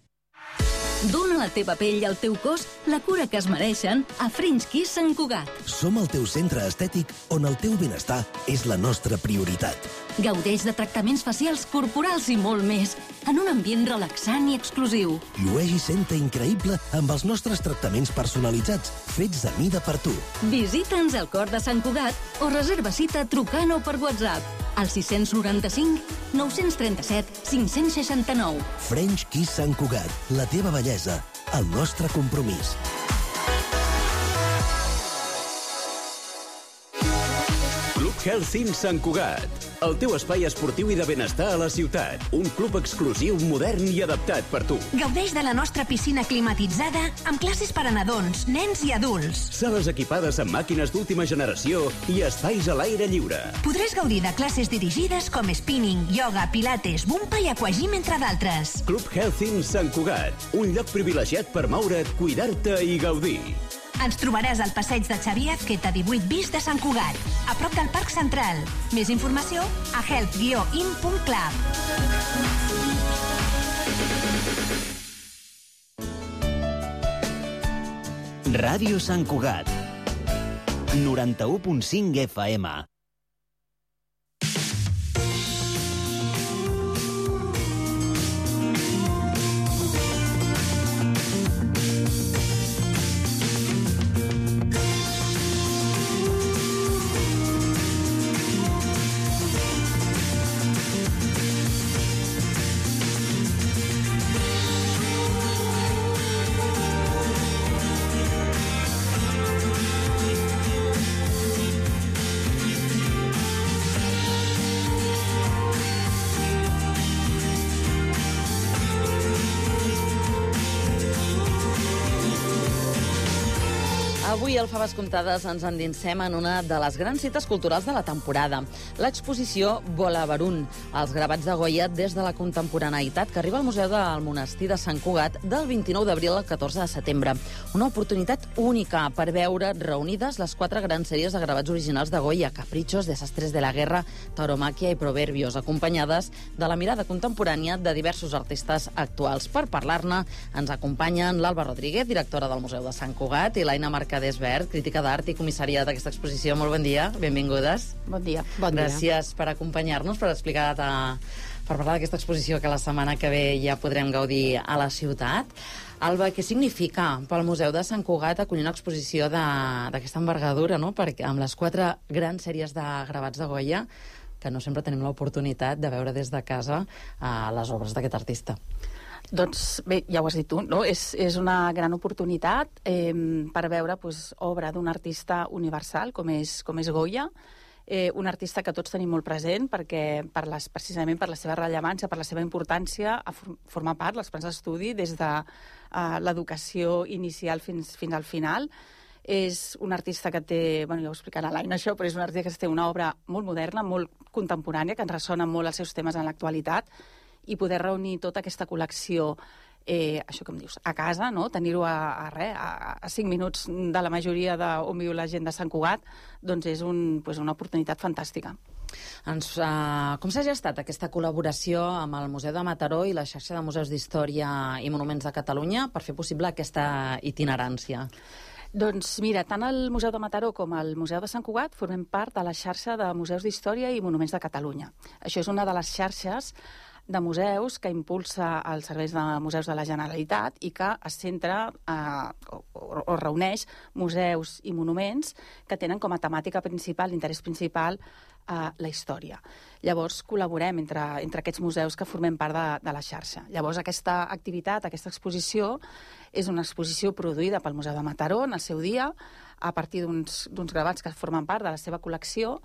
Dóna a la teva pell i al teu cos la cura que es mereixen a French Kiss Sant Cugat. Som el teu centre estètic on el teu benestar és la nostra prioritat. Gaudeix de tractaments facials, corporals i molt més, en un ambient relaxant i exclusiu. Llueix i senta increïble amb els nostres tractaments personalitzats, fets a mida per tu. Visita'ns al cor de Sant Cugat o reserva cita trucant o per WhatsApp al 695 937 569. French Kiss Sant Cugat, la teva bellesa, el nostre compromís. Club Health Sant Cugat, el teu espai esportiu i de benestar a la ciutat. Un club exclusiu, modern i adaptat per tu. Gaudeix de la nostra piscina climatitzada amb classes per a nadons, nens i adults. Sales equipades amb màquines d'última generació i espais a l'aire lliure. Podràs gaudir de classes dirigides com spinning, ioga, pilates, bumpa i aquagym, entre d'altres. Club Health Sant Cugat, un lloc privilegiat per moure't, cuidar-te i gaudir. Ens trobaràs al passeig de Xavier Azqueta 18 bis de Sant Cugat, a prop del Parc Central. Més informació a health-in.club. Ràdio Sant Cugat, 91.5 FM. Avui al Faves Comptades ens endinsem en una de les grans cites culturals de la temporada, l'exposició Volavarun, els gravats de Goya des de la contemporaneïtat, que arriba al Museu del Monestir de Sant Cugat del 29 d'abril al 14 de setembre. Una oportunitat única per veure reunides les 4 grans sèries de gravats originals de Goya, Caprichos, Desastres de la Guerra, Tauromaquia i Proverbios, acompanyades de la mirada contemporània de diversos artistes actuals. Per parlar-ne ens acompanyen l'Alba Rodríguez, directora del Museu de Sant Cugat, i l'Aina Mercadés-Vert, crítica d'art i comissària d'aquesta exposició. Molt bon dia, benvingudes. Bon dia. Bon dia. Gràcies per acompanyar-nos, per explicar, per parlar d'aquesta exposició que la setmana que ve ja podrem gaudir a la ciutat. Alba, què significa pel Museu de Sant Cugat acollir una exposició d'aquesta envergadura, no? Perquè amb les 4 grans sèries de gravats de Goya, que no sempre tenim l'oportunitat de veure des de casa les obres d'aquest artista. Doncs bé, ja ho has dit tu, no? És una gran oportunitat per veure obra d'un artista universal com és Goya, un artista que tots tenim molt present perquè precisament per la seva rellevància, per la seva importància, forma part dels plans d'estudi des de l'educació inicial fins al final. És un artista que té, ja ho explicarà l'Aina això, però és un artista que té una obra molt moderna, molt contemporània, que ens ressona molt els seus temes en l'actualitat, i poder reunir tota aquesta col·lecció, això que em dius, a casa, no? Tenir-ho a 5 minuts de la majoria d'on viu la gent de Sant Cugat, doncs és una oportunitat fantàstica. Com s'ha gestat aquesta col·laboració amb el Museu de Mataró i la xarxa de museus d'història i monuments de Catalunya per fer possible aquesta itinerància? Doncs mira, tant el Museu de Mataró com el Museu de Sant Cugat formem part de la xarxa de museus d'història i monuments de Catalunya. Això és una de les xarxes de museus que impulsa els serveis de museus de la Generalitat i que es centra o reuneix museus i monuments que tenen com a temàtica principal, l'interès principal, la història. Llavors, col·laborem entre aquests museus que formem part de la xarxa. Llavors, aquesta activitat, aquesta exposició, és una exposició produïda pel Museu de Mataró en el seu dia, a partir d'uns gravats que formen part de la seva col·lecció,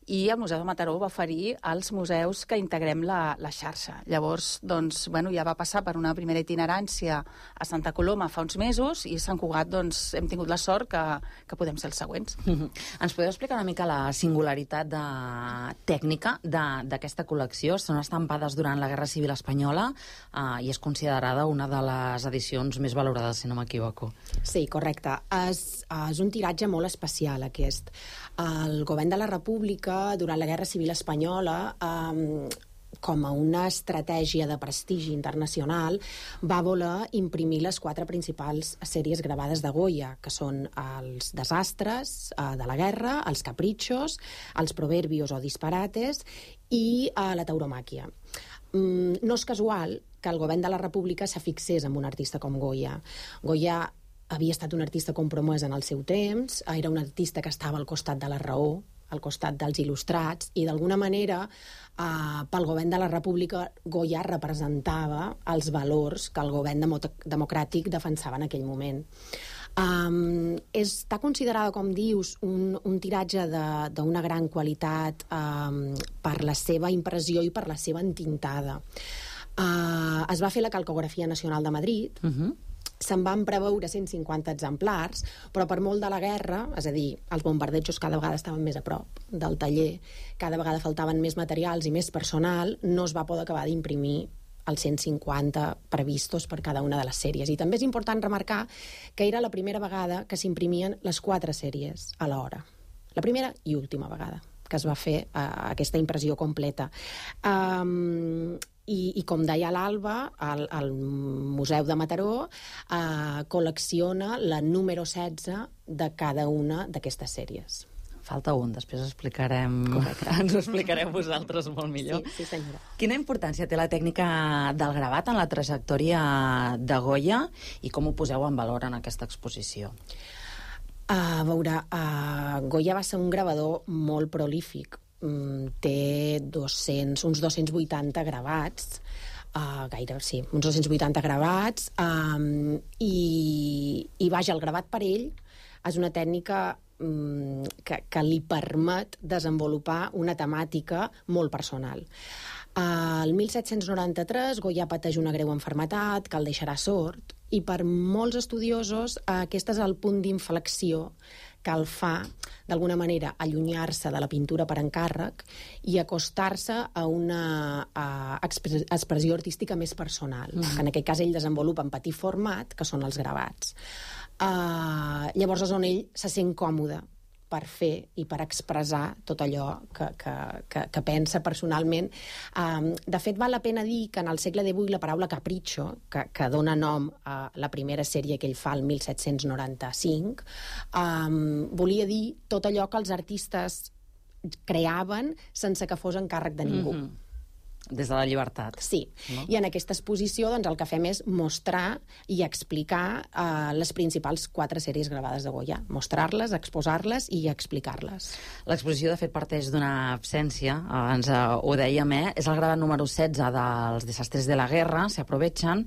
i el Museu de Mataró va oferir als museus que integrem la xarxa. Llavors, ja va passar per una primera itinerància a Santa Coloma fa uns mesos i a Sant Cugat hem tingut la sort que podem ser els següents. Ens podeu explicar una mica la singularitat tècnica d'aquesta col·lecció? Són estampades durant la Guerra Civil Espanyola i és considerada una de les edicions més valorades, si no m'equivoco. Sí, correcte. És un tiratge molt especial, aquest. El govern de la República que durant la Guerra Civil Espanyola, com a una estratègia de prestigi internacional, va voler imprimir les 4 principals sèries gravades de Goya, que són els desastres de la guerra, els caprichos, els proverbios o disparates i la tauromàquia. No és casual que el govern de la República s'afixés en un artista com Goya. Goya havia estat un artista compromès en el seu temps, era un artista que estava al costat de la raó, al costat dels il·lustrats, i d'alguna manera pel govern de la República Goya representava els valors que el govern democràtic defensava en aquell moment. Està considerada, com dius, un tiratge d'una gran qualitat per la seva impressió i per la seva entintada. Es va fer la Calcografia Nacional de Madrid, se'n van preveure 150 exemplars, però per molt de la guerra, és a dir, els bombardejos cada vegada estaven més a prop del taller, cada vegada faltaven més materials i més personal, no es va poder acabar d'imprimir els 150 previstos per cada una de les sèries. I també és important remarcar que era la primera vegada que s'imprimien les 4 sèries a l'hora. La primera i última vegada que es va fer aquesta impressió completa. I com deia l'Alba, el Museu de Mataró col·lecciona la número 16 de cada una d'aquestes sèries. Falta un, després ens ho explicareu vosaltres molt millor. Sí, senyora. Quina importància té la tècnica del gravat en la trajectòria de Goya i com ho poseu en valor en aquesta exposició? A veure, Goya va ser un gravador molt prolífic. Té uns 280 gravats, uns 280 gravats, i vaja, el gravat per ell és una tècnica que li permet desenvolupar una temàtica molt personal. El 1793 Goya pateix una greu malaltia que el deixarà sord, i per molts estudiosos aquest és el punt d'inflexió que el fa, d'alguna manera, allunyar-se de la pintura per encàrrec i acostar-se a una expressió artística més personal, que en aquest cas ell desenvolupa en petit format, que són els gravats. Llavors és on ell se sent còmode per fer i per expressar tot allò que pensa personalment. De fet, val la pena dir que en el segle XVIII la paraula capricho, que dona nom a la primera sèrie que ell fa el 1795, volia dir tot allò que els artistes creaven sense que fos encàrrec de ningú. Des de la llibertat. Sí, no? I en aquesta exposició doncs, el que fem és mostrar i explicar les principals 4 sèries gravades de Goya. Mostrar-les, exposar-les i explicar-les. L'exposició, de fet, parteix d'una absència, ens ho dèiem, és el gravat número 16 dels Desastres de la Guerra, se aprovechen,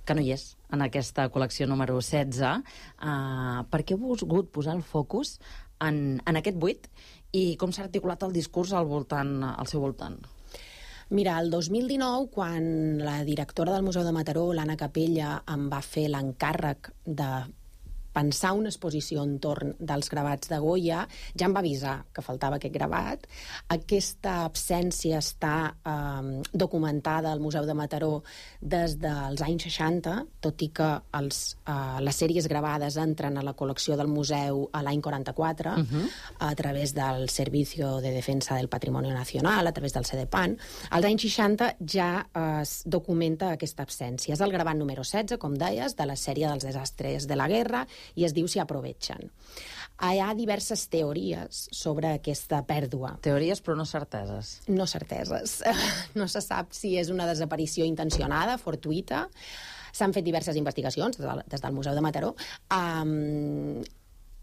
que no hi és en aquesta col·lecció número 16. Per què heu volgut posar el focus en aquest buit i com s'ha articulat el discurs al seu voltant? Mira, el 2019, quan la directora del Museu de Mataró, l'Anna Capella, em va fer l'encàrrec de pensar una exposició entorn dels gravats de Goya, ja em va avisar que faltava aquest gravat. Aquesta absència està documentada al Museu de Mataró des dels anys 60, tot i que les sèries gravades entren a la col·lecció del museu a l'any 44, a través del Servicio de Defensa del Patrimonio Nacional, a través del CDPAN. Als anys 60 ja es documenta aquesta absència. És el gravat número 16, com deies, de la sèrie dels Desastres de la Guerra, i es diu Si aprovechen. Hi ha diverses teories sobre aquesta pèrdua. Teories, però no certeses. No certeses. No se sap si és una desaparició intencionada, fortuïta. S'han fet diverses investigacions des del Museu de Mataró,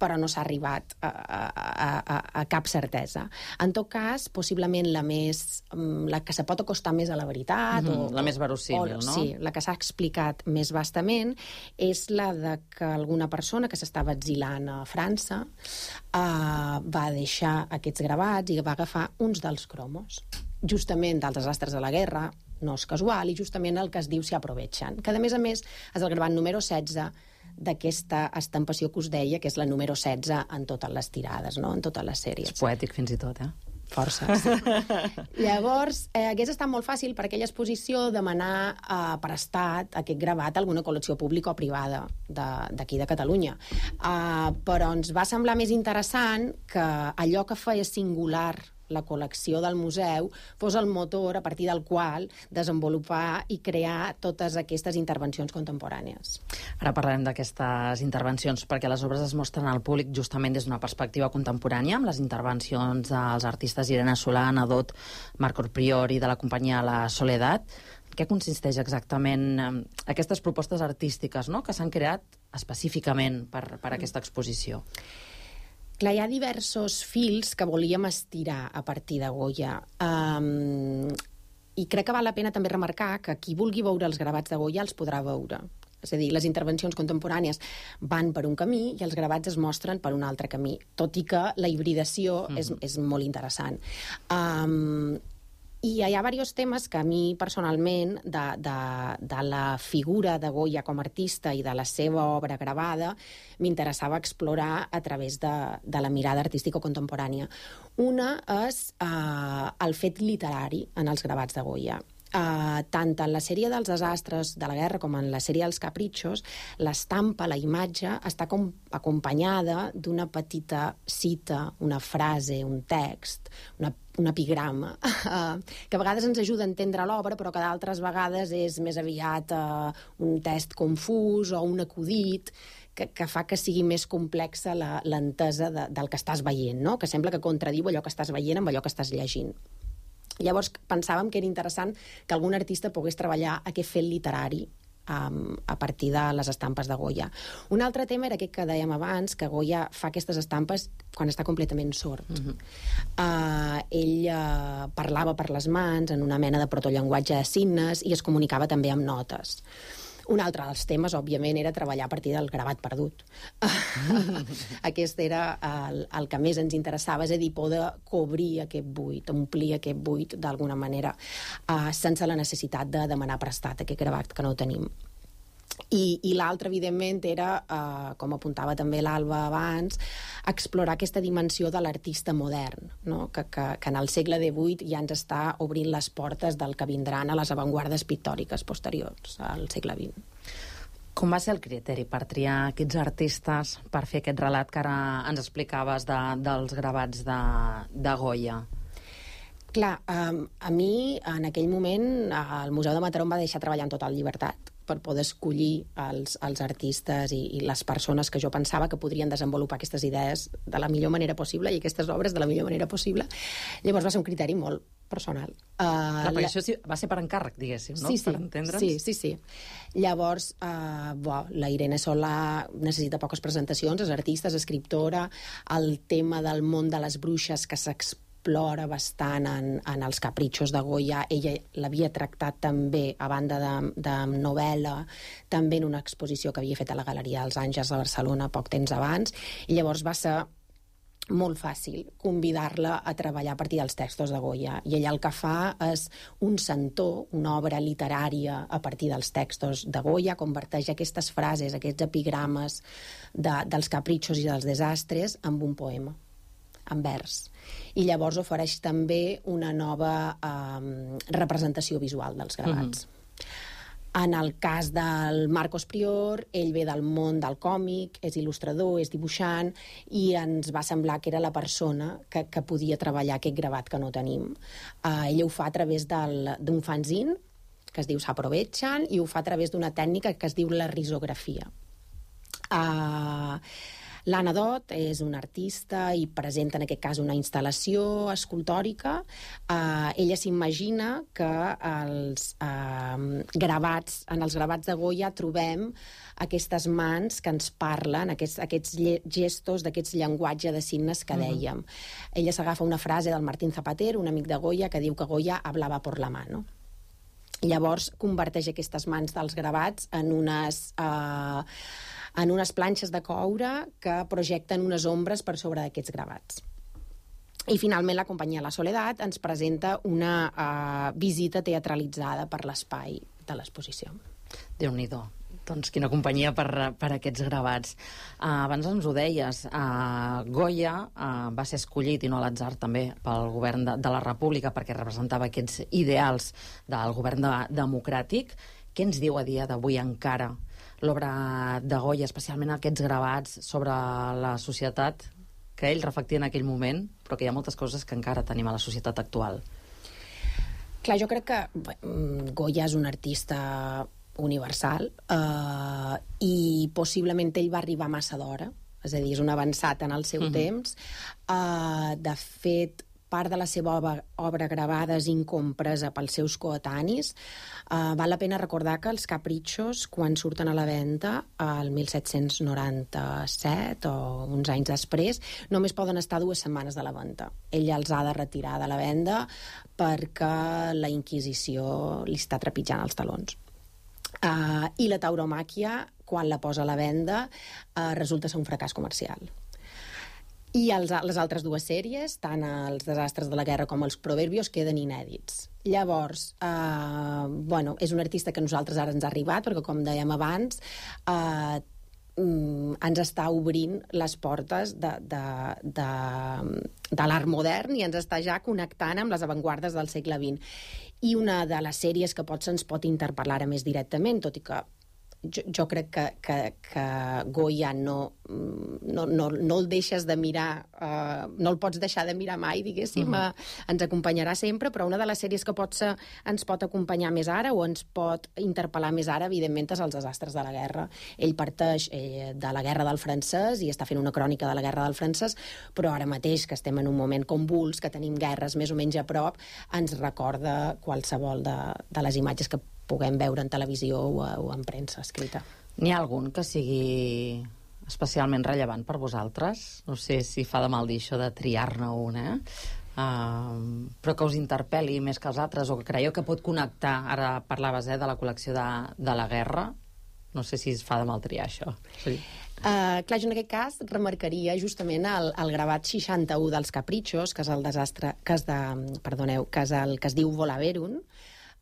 però no s'ha arribat a cap certesa. En tot cas, possiblement la que se pot acostar més a la veritat... La més verossímil, no? Sí, la que s'ha explicat més vastament és la de que alguna persona que s'estava exilant a França va deixar aquests gravats i va agafar uns dels cromos, justament dels desastres de la guerra, no és casual, i justament el que es diu Si aprovechen, que a més és el gravat número 16 d'aquesta estampació que us deia, que és la número 16 en totes les tirades, no? En totes les sèries. És poètic fins i tot, Força, sí. Llavors, hagués estat molt fàcil per aquella exposició demanar prestat aquest gravat a alguna col·lecció pública o privada d'aquí de Catalunya. Però ens va semblar més interessant que allò que feia singular la col·lecció del museu fos el motor a partir del qual desenvolupar i crear totes aquestes intervencions contemporànies. Ara parlarem d'aquestes intervencions, perquè les obres es mostren al públic justament des d'una perspectiva contemporània, amb les intervencions dels artistes Irene Solà, Anna Dot, Marcos Priori, de la companyia La Soledat. Què consisteix exactament aquestes propostes artístiques, no?, que s'han creat específicament per aquesta exposició? Clar, hi ha diversos fils que volíem estirar a partir de Goya. I crec que val la pena també remarcar que qui vulgui veure els gravats de Goya els podrà veure. És a dir, les intervencions contemporànies van per un camí i els gravats es mostren per un altre camí, tot i que la hibridació és molt interessant. I hi ha diversos temes que a mi, personalment, de la figura de Goya com a artista i de la seva obra gravada, m'interessava explorar a través de la mirada artística contemporània. Una és el fet literari en els gravats de Goya. Tant en la sèrie dels desastres de la guerra com en la sèrie dels capritxos, l'estampa, la imatge, està acompanyada d'una petita cita, una frase, un text, un epigrama, que a vegades ens ajuda a entendre l'obra, però que d'altres vegades és més aviat un text confús o un acudit que fa que sigui més complexa l'entesa del que estàs veient, no? Que sembla que contradiu allò que estàs veient amb allò que estàs llegint. Llavors pensàvem que era interessant que algun artista pogués treballar aquest fet literari a partir de les estampes de Goya. Un altre tema era aquest que dèiem abans, que Goya fa aquestes estampes quan està completament sord. Ell parlava per les mans en una mena de protollenguatge de signes i es comunicava també amb notes. Un altre dels temes, òbviament, era treballar a partir del gravat perdut. Aquest era el que més ens interessava, és a dir, poder cobrir aquest buit, omplir aquest buit d'alguna manera, sense la necessitat de demanar prestat aquest gravat que no tenim. I l'altre, evidentment, era, com apuntava també l'Alba abans, explorar aquesta dimensió de l'artista modern, no? que en el segle XVIII ja ens està obrint les portes del que vindran a les avantguardes pictòriques posteriors al segle XX. Com va ser el criteri per triar aquests artistes per fer aquest relat que ara ens explicaves dels gravats de Goya? Clar, a mi, en aquell moment, el Museu de Mataró em va deixar treballar en total llibertat per poder escollir els artistes i les persones que jo pensava que podrien desenvolupar aquestes idees de la millor manera possible i aquestes obres de la millor manera possible. Llavors va ser un criteri molt personal. Perquè això va ser per encàrrec, diguéssim, no? Sí. Per entendre'ns. Sí. Llavors, la Irene Solà necessita poques presentacions, és artista, és escriptora, el tema del món de les bruixes que s'explora bastant en els capritxos de Goya, ella l'havia tractat també, a banda de novel·la, també en una exposició que havia fet a la Galeria dels Àngels de Barcelona poc temps abans, i llavors va ser molt fàcil convidar-la a treballar a partir dels textos de Goya. I ella el que fa és un centó, una obra literària a partir dels textos de Goya, converteix aquestes frases, aquests epigrames dels capritxos i dels desastres en un poema, en vers. I llavors ofereix també una nova representació visual dels gravats. En el cas del Marcos Prior, ell ve del món del còmic, és il·lustrador, és dibuixant, i ens va semblar que era la persona que podia treballar aquest gravat que no tenim. Ell ho fa a través d'un fanzine, que es diu S'Aprovechen, i ho fa a través d'una tècnica que es diu la risografia. L'Anna Dot és una artista i presenta en aquest cas una instal·lació escultòrica. Ella s'imagina que en els gravats de Goya trobem aquestes mans que ens parlen, aquests gestos d'aquests llenguatge de signes que dèiem. Ella s'agafa una frase del Martín Zapater, un amic de Goya, que diu que Goya hablava por la mano. Llavors converteix aquestes mans dels gravats en unes planxes de coure que projecten unes ombres per sobre d'aquests gravats. I finalment la companyia La Soledat ens presenta una visita teatralitzada per l'espai de l'exposició. Déu-n'hi-do. Doncs quina companyia per aquests gravats. Abans ens ho deies, Goya va ser escollit, i no a l'atzar també, pel govern de la República perquè representava aquests ideals del govern democràtic. Què ens diu a dia d'avui encara l'obra de Goya, especialment aquests gravats sobre la societat que ell reflectia en aquell moment, però que hi ha moltes coses que encara tenim a la societat actual. Clar, jo crec que Goya és un artista universal i possiblement ell va arribar massa d'hora, és a dir, és un avançat en el seu temps. De fet, part de la seva obra gravada és incompresa pels seus coetanis. Val la pena recordar que els Caprichos, quan surten a la venda, el 1797 o uns anys després, només poden estar 2 setmanes de la venda. Ell els ha de retirar de la venda perquè la Inquisició li està trepitjant els talons. I la tauromàquia, quan la posa a la venda, resulta ser un fracàs comercial. I les altres 2 sèries, tant els desastres de la guerra com els proverbios, queden inèdits. Llavors, és un artista que a nosaltres ara ens ha arribat, perquè, com dèiem abans, ens està obrint les portes de l'art modern i ens està ja connectant amb les avantguardes del segle XX. I una de les sèries que ens pot interpel·lar ara més directament, tot i que jo crec que Goya no el deixes de mirar, no el pots deixar de mirar mai, diguéssim, ens acompanyarà sempre, però una de les sèries que ens pot acompanyar més ara o ens pot interpel·lar més ara, evidentment, és els desastres de la guerra. Ell parteix de la guerra del francès i està fent una crònica de la guerra del francès, però ara mateix, que estem en un moment convuls, que tenim guerres més o menys a prop, ens recorda qualsevol de les imatges que puguem veure en televisió o en premsa escrita. N'hi ha algun que sigui especialment rellevant per vosaltres? No sé si fa de mal dir això de triar-ne una, però que us interpel·li més que els altres, o que creieu que pot connectar, ara parlaves de la col·lecció de la guerra, no sé si es fa de mal triar això. Sí. Clar, jo en aquest cas remarcaria justament el gravat 61 dels Caprichos, que és el desastre, que és el que es diu Volaverum,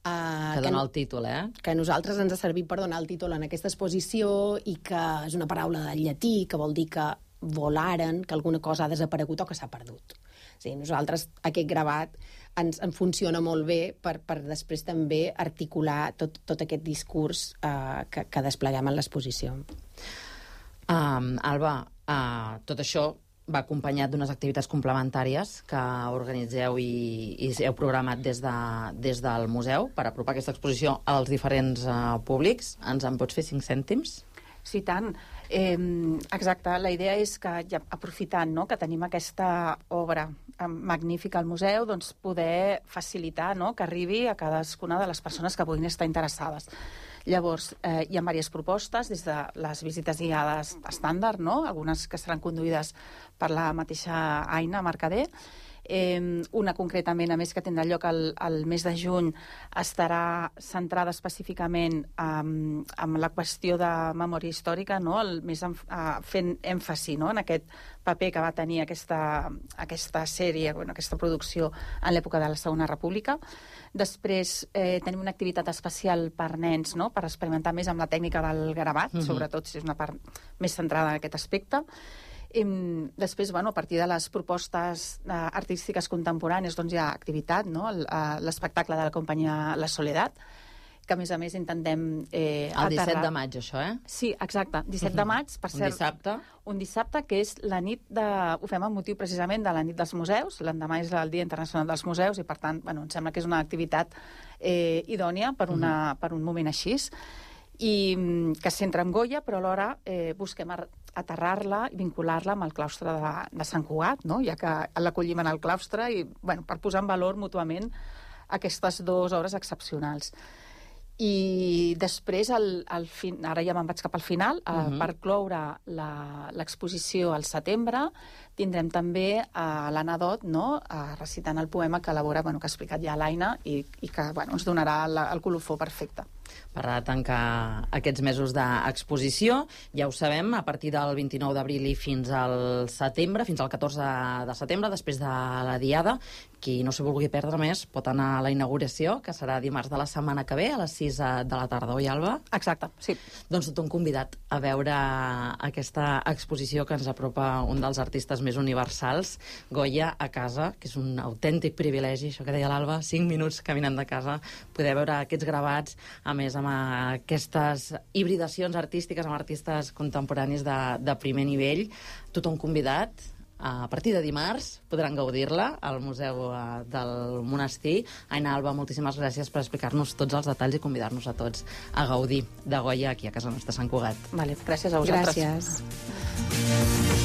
que dona el títol, que a nosaltres ens ha servit per donar el títol en aquesta exposició i que és una paraula del llatí que vol dir que volaren, que alguna cosa ha desaparegut o que s'ha perdut. Sí, nosaltres aquest gravat ens funciona molt bé per després també articular tot aquest discurs que despleguem en l'exposició. Alba, tot això va acompanyat d'unes activitats complementàries que organitzeu i heu programat des del museu per apropar aquesta exposició als diferents públics. Ens en pots fer 5 cèntims? Sí, tant. Exacte. La idea és que, ja aprofitant que tenim aquesta obra magnífica al museu, doncs poder facilitar que arribi a cadascuna de les persones que puguin estar interessades. Llavors, hi ha diverses propostes, des de les visites guiades estàndard, algunes que seran conduïdes per la mateixa Aina Mercader. Una concretament, a més, que tindrà lloc el mes de juny, estarà centrada específicament en la qüestió de memòria històrica, fent èmfasi en aquest paper que va tenir aquesta sèrie, aquesta producció en l'època de la Segona República. Després tenim una activitat especial per nens, per experimentar més amb la tècnica del gravat, sobretot si és una part més centrada en aquest aspecte. Després, a partir de les propostes artístiques contemporànies, doncs hi ha activitat, l'espectacle de la companyia La Soledat, que a més intentem el 17 de maig, això, Sí, exacte, 17 de maig, per cert. Un dissabte. Un dissabte, que és la nit ho fem amb motiu precisament de la nit dels museus, l'endemà és el Dia Internacional dels Museus, i per tant, em sembla que és una activitat idònia per un moment així, i que es centra en Goya, però alhora busquem aterrar-la i vincular-la amb el claustre de Sant Cugat, ja que l'acollim en el claustre, i per posar en valor mútuament aquestes 2 obres excepcionals. I després, ara ja me'n vaig cap al final, per cloure l'exposició al setembre, tindrem també l'Anna Dot recitant el poema que elabora, que ha explicat ja l'Aina, i que ens donarà el colofó perfecte. Per tancar aquests mesos d'exposició, ja ho sabem, a partir del 29 d'abril i fins al setembre, fins al 14 de setembre, després de la Diada, qui no s'ho vulgui perdre més pot anar a la inauguració, que serà dimarts de la setmana que ve, a les 6 de la tarda, oi, Alba? Exacte, sí. Doncs tot un convidat a veure aquesta exposició que ens apropa un dels artistes més universals, Goya, a casa, que és un autèntic privilegi, això que deia l'Alba, 5 minuts caminant de casa, poder veure aquests gravats, a més amb aquestes hibridacions artístiques amb artistes contemporanis de primer nivell. Tothom convidat a partir de dimarts podran gaudir-la al Museu del Monestir. Aina, Alba, moltíssimes gràcies per explicar-nos tots els detalls i convidar-nos a tots a gaudir de Goya aquí a casa nostra, a Sant Cugat. Vale, gràcies a vosaltres. Gràcies.